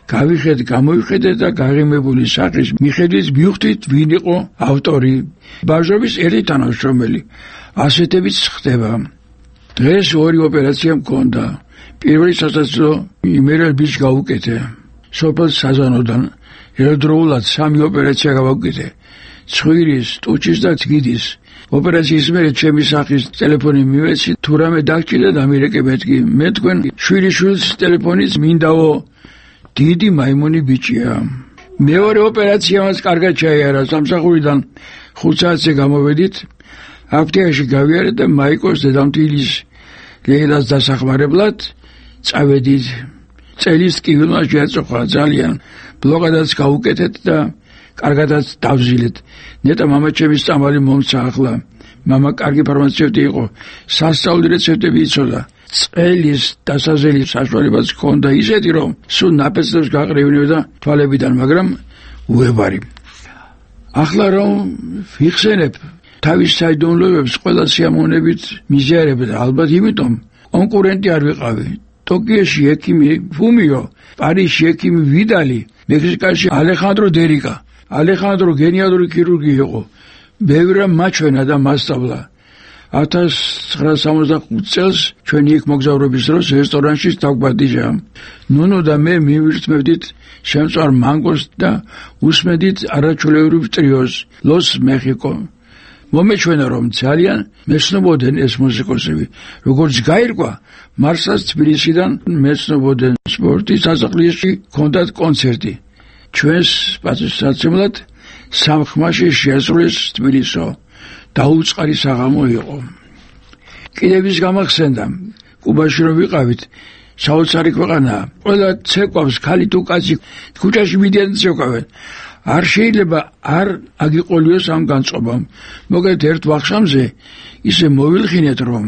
გამოვიხედეთ და გაღიმებული სახის მიხედვით მივხვდით ვინ იყო ავტორი. ბავშვების ერთი თანამშრომელი. ასეთებიც ხდება. დღეს 2 ოპერაცია მქონდა. პირველი სასაცილო იმერების გავუკეთე. სოფელ საზანოდან ერთდროულად 3 ოპერაცია გავუკეთე. ცხვირის, ტუჩის და ძგიდის. ოპერაციის მერე ჩემი სახის ტელეფონი მივეცი, თუ რამე დაგჭირდა დამირეკებეთ კი. მე თქვენ შვილიშვილს ტელეფონიც მინდაო. დიდი მაიმუნი ბიჭია. მეორე ოპერაციამაც კარგად ჩაიარა. სამსახურიდან 5 საათზე გამოვედით. აფთიაქში გავიარეთ და მაიკოს დედამთილის ლეილას დასახმარებლად წავედით. წელის ტკივილმა შეაწოხა ძალიან. ბლოკადაც გავუკეთეთ და კარგადაც დავზილეთ. ნეტა მამაჩემის წამალი მომცა ახლა. მამა კარგი ფარმაცევტი იყო. სასწაული რეცეპტები იცოდა. წელის დასაზელის საშუალებაც ჰქონდა ისეთი, რომ სულ ნაპეცდებს გაყრევინებდა თვალებიდან, მაგრამ უებარი. ახლა რომ ვიხსენებ თავის საიდუმლოებებს, ყველა სიამოვნებით მიზიარებდა, ალბათ იმიტომ კონკურენტი არ ვიყავი. ტოკიოში ექიმი ფუმიო, პარიზში ექიმი ვიდალი, მექსიკაში ალეხანდრო დერიკა. ალეხანდრო გენიალური ქირურგი იყო. ბევრმა მაჩვენა და მასწავლა. 1965 წელს ჩვენი იქ მოგზაურობის დროს რესტორანში დავგვადიჟა. ნუნო და მე მივირთმევდით შემწვარ მანგოს და უსმედით არაჩვეულებრივ ტრიოს ლოს მეხიკო. მომეჩვენა რომ ძალიან მეცნობოდნენ ეს მუსიკოსები. როგორც გაირკვა, მარსას თბილისიდან მეცნობოდნენ. სპორტის სასახლეში ჰქონდათ კონცერტი. ჩვენს პატივსაცემლად სამხმაში შეასრულეს თბილისო. დაუწყარი საღამო იყო. კიდევის გამახსენდა, კუბაში რომ ვიყავით, საოცარი ქვეყანაა. ყველა ცეკვავს ქალი თუ კაცი ქუჩაში მიდიან ცეკვავენ. არ შეიძლება არ აგიყოლიოს ამ განწყობამ. მოგეთ ერთ ვახშამზე ისე მოვილხინეთ რომ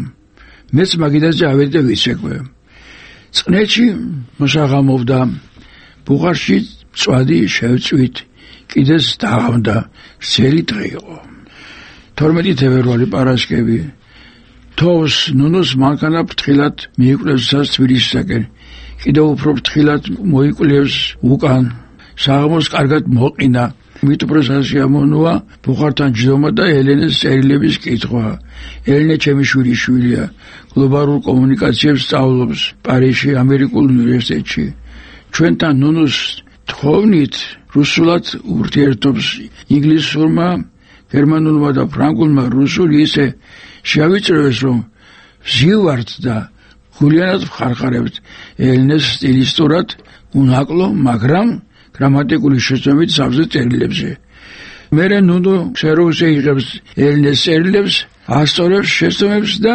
მეც მაგიდაზე ავედი და ვიცეკვე. წყნეთში მოსაღამოვდა. ბუღარში წვადი შევწვით. კიდეს დაღამდა. სელი დღე იყო. 12 თებერვალი პარასკევი. თოვს ნუნოს მანქანა ფრთხილად მიიკვლევს თბილისისაკენ. კიდევ უფრო ფრთხილად მოიკვლევს უკან. საღამოს კარგად მოყინა. მით უფრო სასიამოვნოა ბუხართან ჯდომა და ელენეს წერილების კითხვა. ელენე ჩემი შვილია. გლობალურ კომუნიკაციებს სწავლობს პარიზში ამერიკულ უნივერსიტეტში. ჩვენთან ნუნუს თხოვნით რუსულად ურთიერთობს ინგლისურმა, გერმანულმა და ფრანგულმა რუსული ისე შეავიწროეს, რომ ვზივართ და გულიანად ვხარხარებთ ელენეს სტილისტურად უნაკლო, მაგრამ გრამატიკული შეცდომით სავსე წერილებზე. მერე ნუნუ სეროზე იღებს ელენეს წერილებს, ასწორებს შეცდომებს და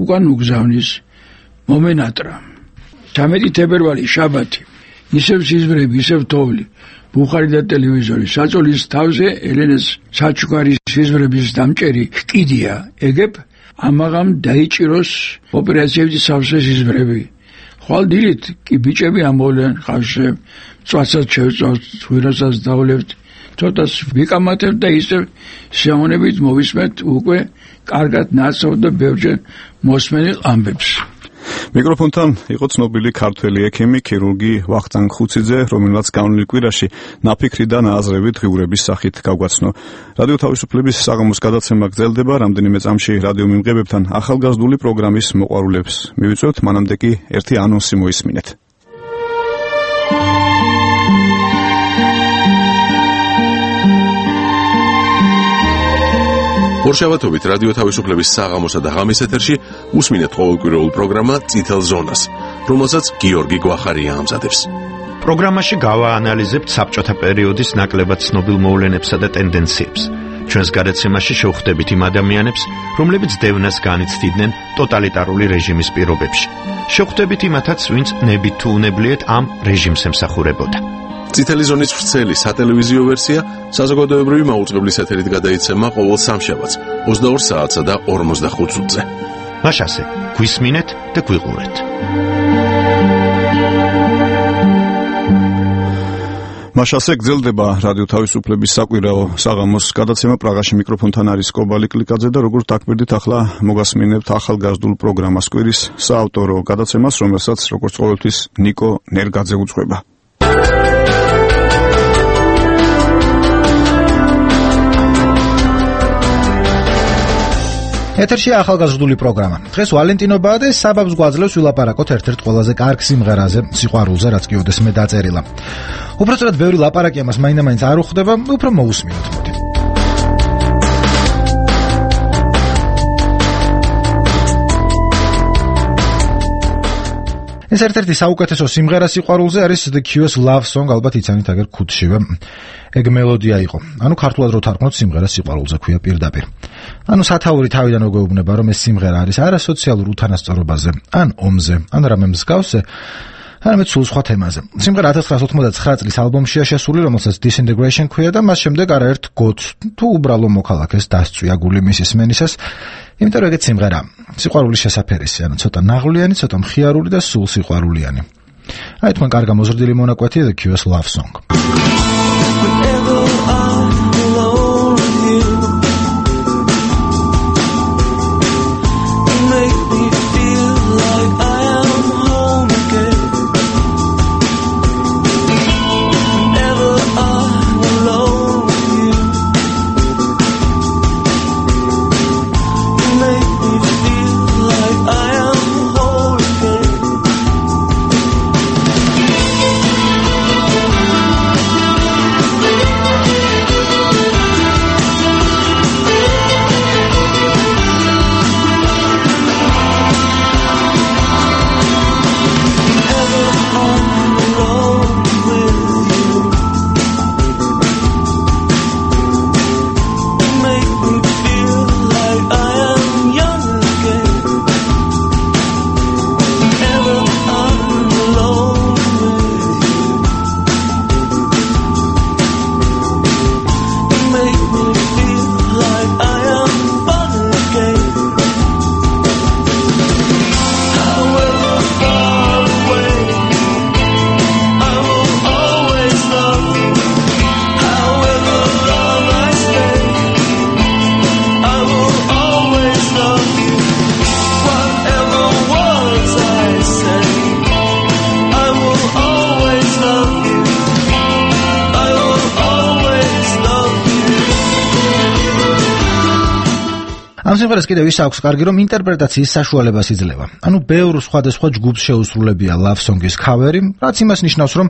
უკან უგზავნის. მომენატრა. 13 თებერვალი შაბათი. ისევ სიზმრები, ისევ თოვლი. ბუხარი და ტელევიზორი. საწოლის თავზე ელენეს საჩუქარის სიზმრების დამჭერი კიდია. ეგებ ამაღამ დაიჭიროს ოპერაციების სავსე სიზმრები. ხვალ დილით კი ბიჭები ამოვლენ ხავშზე. წვასაც შევწავთ, ვირასაც დავლებთ. ცოტას ვიკამათებთ და ისევ შეამონებით მოვისმენთ უკვე კარგად ნაცნობ და ბევრჯერ მოსმენილ ამბებს. მიკროფონთან იყო ცნობილი ქართველი ექიმი, ქირურგი ვახტანგ ხუციძე, რომელსაც განვლილ კვირაში ნაფიქრი და ნააზრევი დღიურების სახით გავგვაცნო. რადიო თავისუფლების საღამოს გადაცემა გრძელდება, რამდენიმე წამში რადიო მიმღებებთან ახალგაზრდული პროგრამის მოყვარულებს მივიწვევთ, მანამდე კი ერთი ანონსი მოისმინეთ. ორშაბათობით რადიო თავისუფლების საღამოსა და ღამის ეთერში უსმინეთ ყოველკვირეულ პროგრამა წითელ ზონას, რომელსაც გიორგი გვახარია ამზადებს. პროგრამაში გავაანალიზებთ საბჭოთა პერიოდის ნაკლებად ცნობილ მოვლენებსა და ტენდენციებს. ჩვენს გადაცემაში შევხვდებით იმ ადამიანებს, რომლებიც დევნას განიცდიდნენ ტოტალიტარული რეჟიმის პირობებში. შევხვდებით იმათაც, ვინც ნებით თუ უნებლიეთ ამ რეჟიმს ემსახურებოდა. წითელი ზონის ვრცელი სატელევიზიო ვერსია საზოგადოებრივი მაუწყებლის ეთერით გადაიცემა ყოველ სამშაბათს 22 საათსა და 45 წუთზე. მაშასე, გვისმინეთ და გვიყურეთ. მაშასე გრძელდება რადიო თავისუფლების საკვირაო საღამოს გადაცემა. პრაღაში მიკროფონთან არის კობალი კლიკაძე და როგორც დაგკვირდით, ახლა მოგასმინებთ ახალგაზრდულ პროგრამას კვირის საავტორო გადაცემას, რომელსაც როგორც ყოველთვის ნიკო ნერგაძე უძღვება. ეთერში ახალგაზრდული პროგრამა. დღეს ვალენტინობაა და საბაბს გვაძლევს ვილაპარაკოთ ერთ-ერთ ყველაზე კარგ სიმღერაზე, სიყვარულზე, რაც კი ოდესმე დაწერილა. უბრალოდ ბევრი ლაპარაკი ამას მაინდა-მაინც არ უხდება, უფრო მოусმინოთ მოდი. ეს ერთ-ერთი საუკეთესო სიმღერა სიყვარულზე არის The Cure's Love Song, ალბათ იცანით აგერ ქუთშივე. ეგ მელოდია იყო. ანუ ქართულად რო თარგმნოთ, სიმღერა სიყვარულზე ქვია პირდაპირ. ანუ სათაური თავიდან მოგეუბნება, რომ ეს სიმღერა არის არა სოციალურ უთანასწორობაზე, ან ომზე, ან რამე მსგავსზე, არამედ სულ სხვა თემაზე. სიმღერა 1999 წლის ალბომშია შესული, რომელსაც Disintegration ქვია და მას შემდეგ არაერთ გოც თუ უბრალო მოქალაქეს დასწვია გული მისის მენისას. იმიტომ რომ ეგეც სიმღერა სიყვარულის შესაფერისი, ანუ ცოტა ნაღვლიანი, ცოტა მხიარული და სულ სიყვარულიანი. აი თქვენ კარგ მოზრდილი მონაკვეთი The Cure's Love Song. ამ სიმღერას კიდევ ის აქვს კარგი, რომ ინტერპრეტაციის საშუალებას იძლევა. ანუ ბევრ სხვადასხვა ჯგუფს შეუსრულებია Love Song-ის ქავერი, რაც იმას ნიშნავს, რომ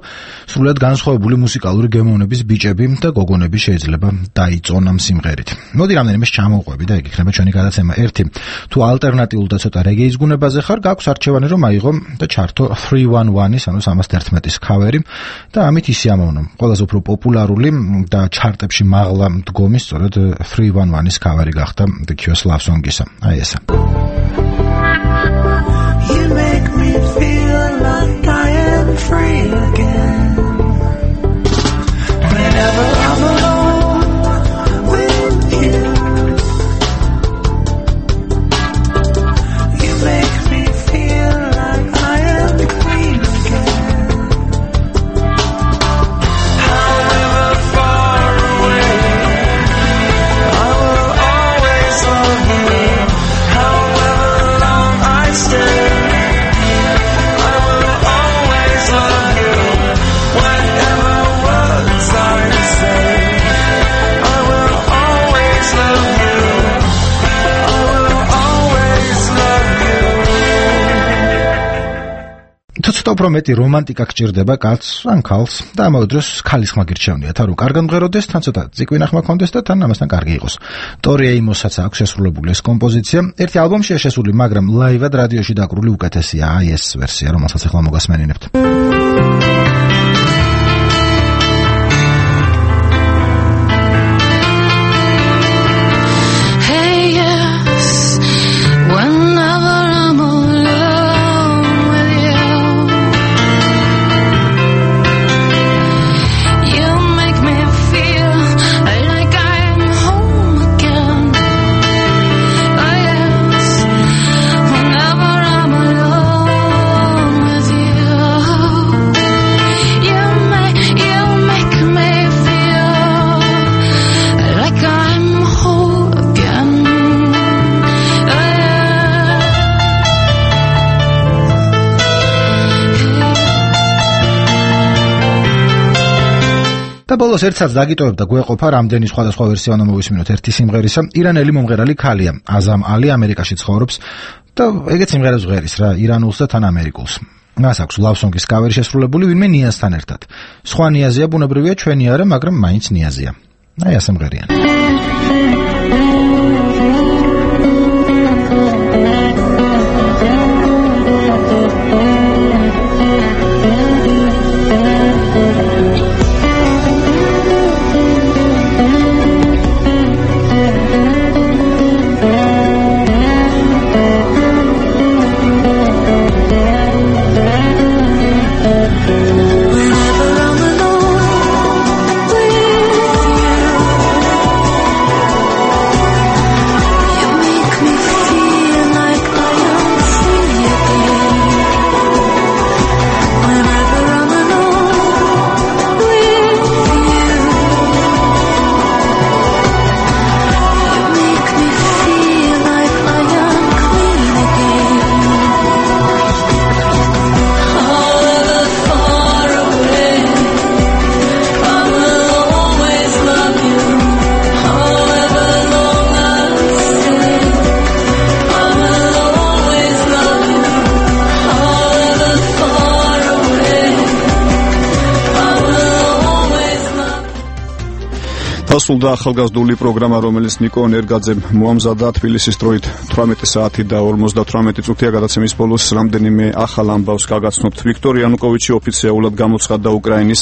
სრულად განსხვავებული მუსიკალური გემოვნების ბიჭები და გოგონები შეიძლება დაიწონ ამ სიმღერით. მოდი რამდენიმეს ჩამოვყვები და ეგ იქნება ჩვენი გადაცემა 1. თუ ალტერნატიულ და ცოტა რეგეის გუნებაზე ხარ, გაქვს არჩევანი რომ აიღო და ჩართო 311-ის, ანუ 311-ის ქავერი და ამით ისიამოვნო. ყველაზე უფრო პოპულარული და ჩარტებში მაღლა მდგომი სწორედ 311-ის ქავერი გახდა The Cure's Love Song-ისა. აი ესა. You make me feel like I am free again. Whenever I'm alone with you, you make me feel like I am clean again. However far away, I will always love you. However long I stay, I will always love you. Whatever words I say, I will always love you. I will always love you. ცოტა უფრო მეტი რომანტიკა გჭირდება კაცს ან ქალს და ამავე დროს ქალის ხმა გირჩევნიათ, რომ კარგად მღეროდეს, თან ცოტა ციკვინა ხმა ქონდეს და თან ამასთან კარგი იყოს. ტორი ეიმოსაც აქვს შესრულებული ეს კომპოზიცია. ერთი ალბომშია შესული, მაგრამ ლაივად რადიოში დაკრული უკეთესია. აი ეს ვერსია, რომელსაც ახლა მოგასმენინებთ. Hey, yes, whenever I'm alone with you, you make me feel like I'm home again. Oh, yes, whenever I'm alone with you, you make me feel like I'm whole again. და ბოლოს ერთსაც დაგიტოვებ და გვეყოფა რამდენი სხვადასხვა ვერსია უნდა მოვისმინოთ ერთი სიმღერისა. ირანელი მომღერალი ქალია, აზამ ალი, ამერიკაში ცხოვრობს და ეგეც სიმღერებს ჟღერის რა, ირანულს და თან ამერიკულს. მას აქვს Love Song-ის კავერი შესრულებული ვინმე ნიაზთან ერთად. სხვა ნიაზია ბუნებრივია, ჩვენი არა, მაგრამ მაინც ნიაზია. აი ასე მღერიან. Whenever I'm alone with you, დასრულდა ახალგაზრდული პროგრამა, რომელიც ნიკო ნერგაძემ მოამზადა თბილისის დროით 18 საათი და 58 წუთია. გადაცემის ბოლოს რამდენიმე ახალ ამბავს გაგაცნობთ. ვიქტორ იანუკოვიჩი ოფიციალურად გამოცხადდა უკრაინის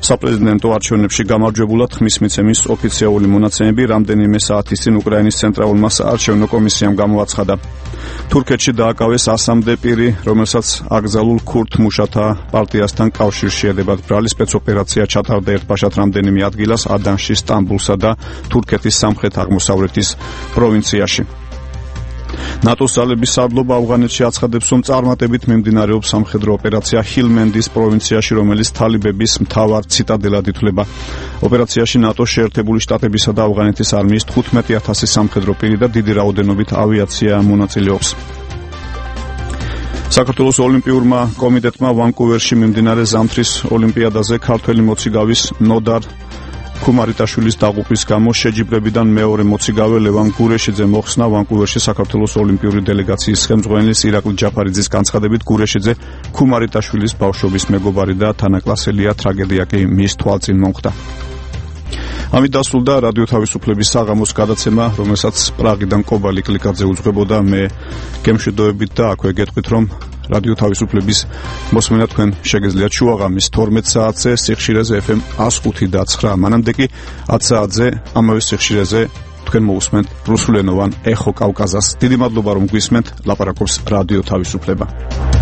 საპრეზიდენტო არჩევნებში გამარჯვებულად. ხმის მიცემის ოფიციალური მონაცემები რამდენიმე საათის წინ უკრაინის ცენტრალურმა საარჩევნო კომისიამ გამოაცხადა. თურქეთში დააკავეს 100-მდე პირი, რომელსაც აკრძალულ ქურთ მუშათა პარტიასთან კავშირში ედებათ ბრალი სპეცოპერაცია ჩატარდა ერთბაშად რამდენიმე ადგილას ადანში, სტამბულსა და თურქეთის სამხრეთ-აღმოსავლეთის პროვინციაში. ნატოს ძალების სარდლობა ავღანეთში აცხადებს, რომ წარმატებით მიმდინარეობს სამხედრო ოპერაცია ჰილმენდის პროვინციაში, რომელიც თალიბების მთავარ ციტადელად ითვლება. ოპერაციაში ნატოს შეერთებული შტატებისა და ავღანეთის არმიის 15,000 სამხედრო პირი და დიდი რაოდენობით ავიაცია მონაწილეობს. საქართველოს ოლიმპიურმა კომიტეტმა ვანკუვერში მიმდინარე ზამთრის ოლიმპიადაზე ქართველი მოციგავის ნოდარ ქუმარიტაშვილის დაღუპვის გამო შეჯიბრებიდან მეორე მოციგავე ლევან გურეშიძე მოხსნა ვანკუვერში საქართველოს ოლიმპიური დელეგაციის ხელმძღვანელის ირაკლი ჯაფარიძის განცხადებით გურეშიძე ქუმარიტაშვილის ბავშვობის მეგობარი და თანაკლასელია, ტრაგედია კი მის თვალწინ მომხდა. ამით დასრულდა რადიო თავისუფლების საღამოს გადაცემა, რომელსაც პრაღიდან კობალი კლიკაძე უძღვებოდა. მე გემშვიდობებით და აქვე გეტყვით, რომ რადიო თავისუფლების მოსმენა თქვენ შეგეძლიათ შუაღამის 12 საათზე სიხშირეზე FM 105.9. მანამდე კი 10 საათზე ამავე სიხშირეზე თქვენ მოусმენთ რუსულენოვან ეხო კავკაზას. დიდი მადლობა რომ გვისმენთ. ლაპარაკობს რადიო თავისუფლება.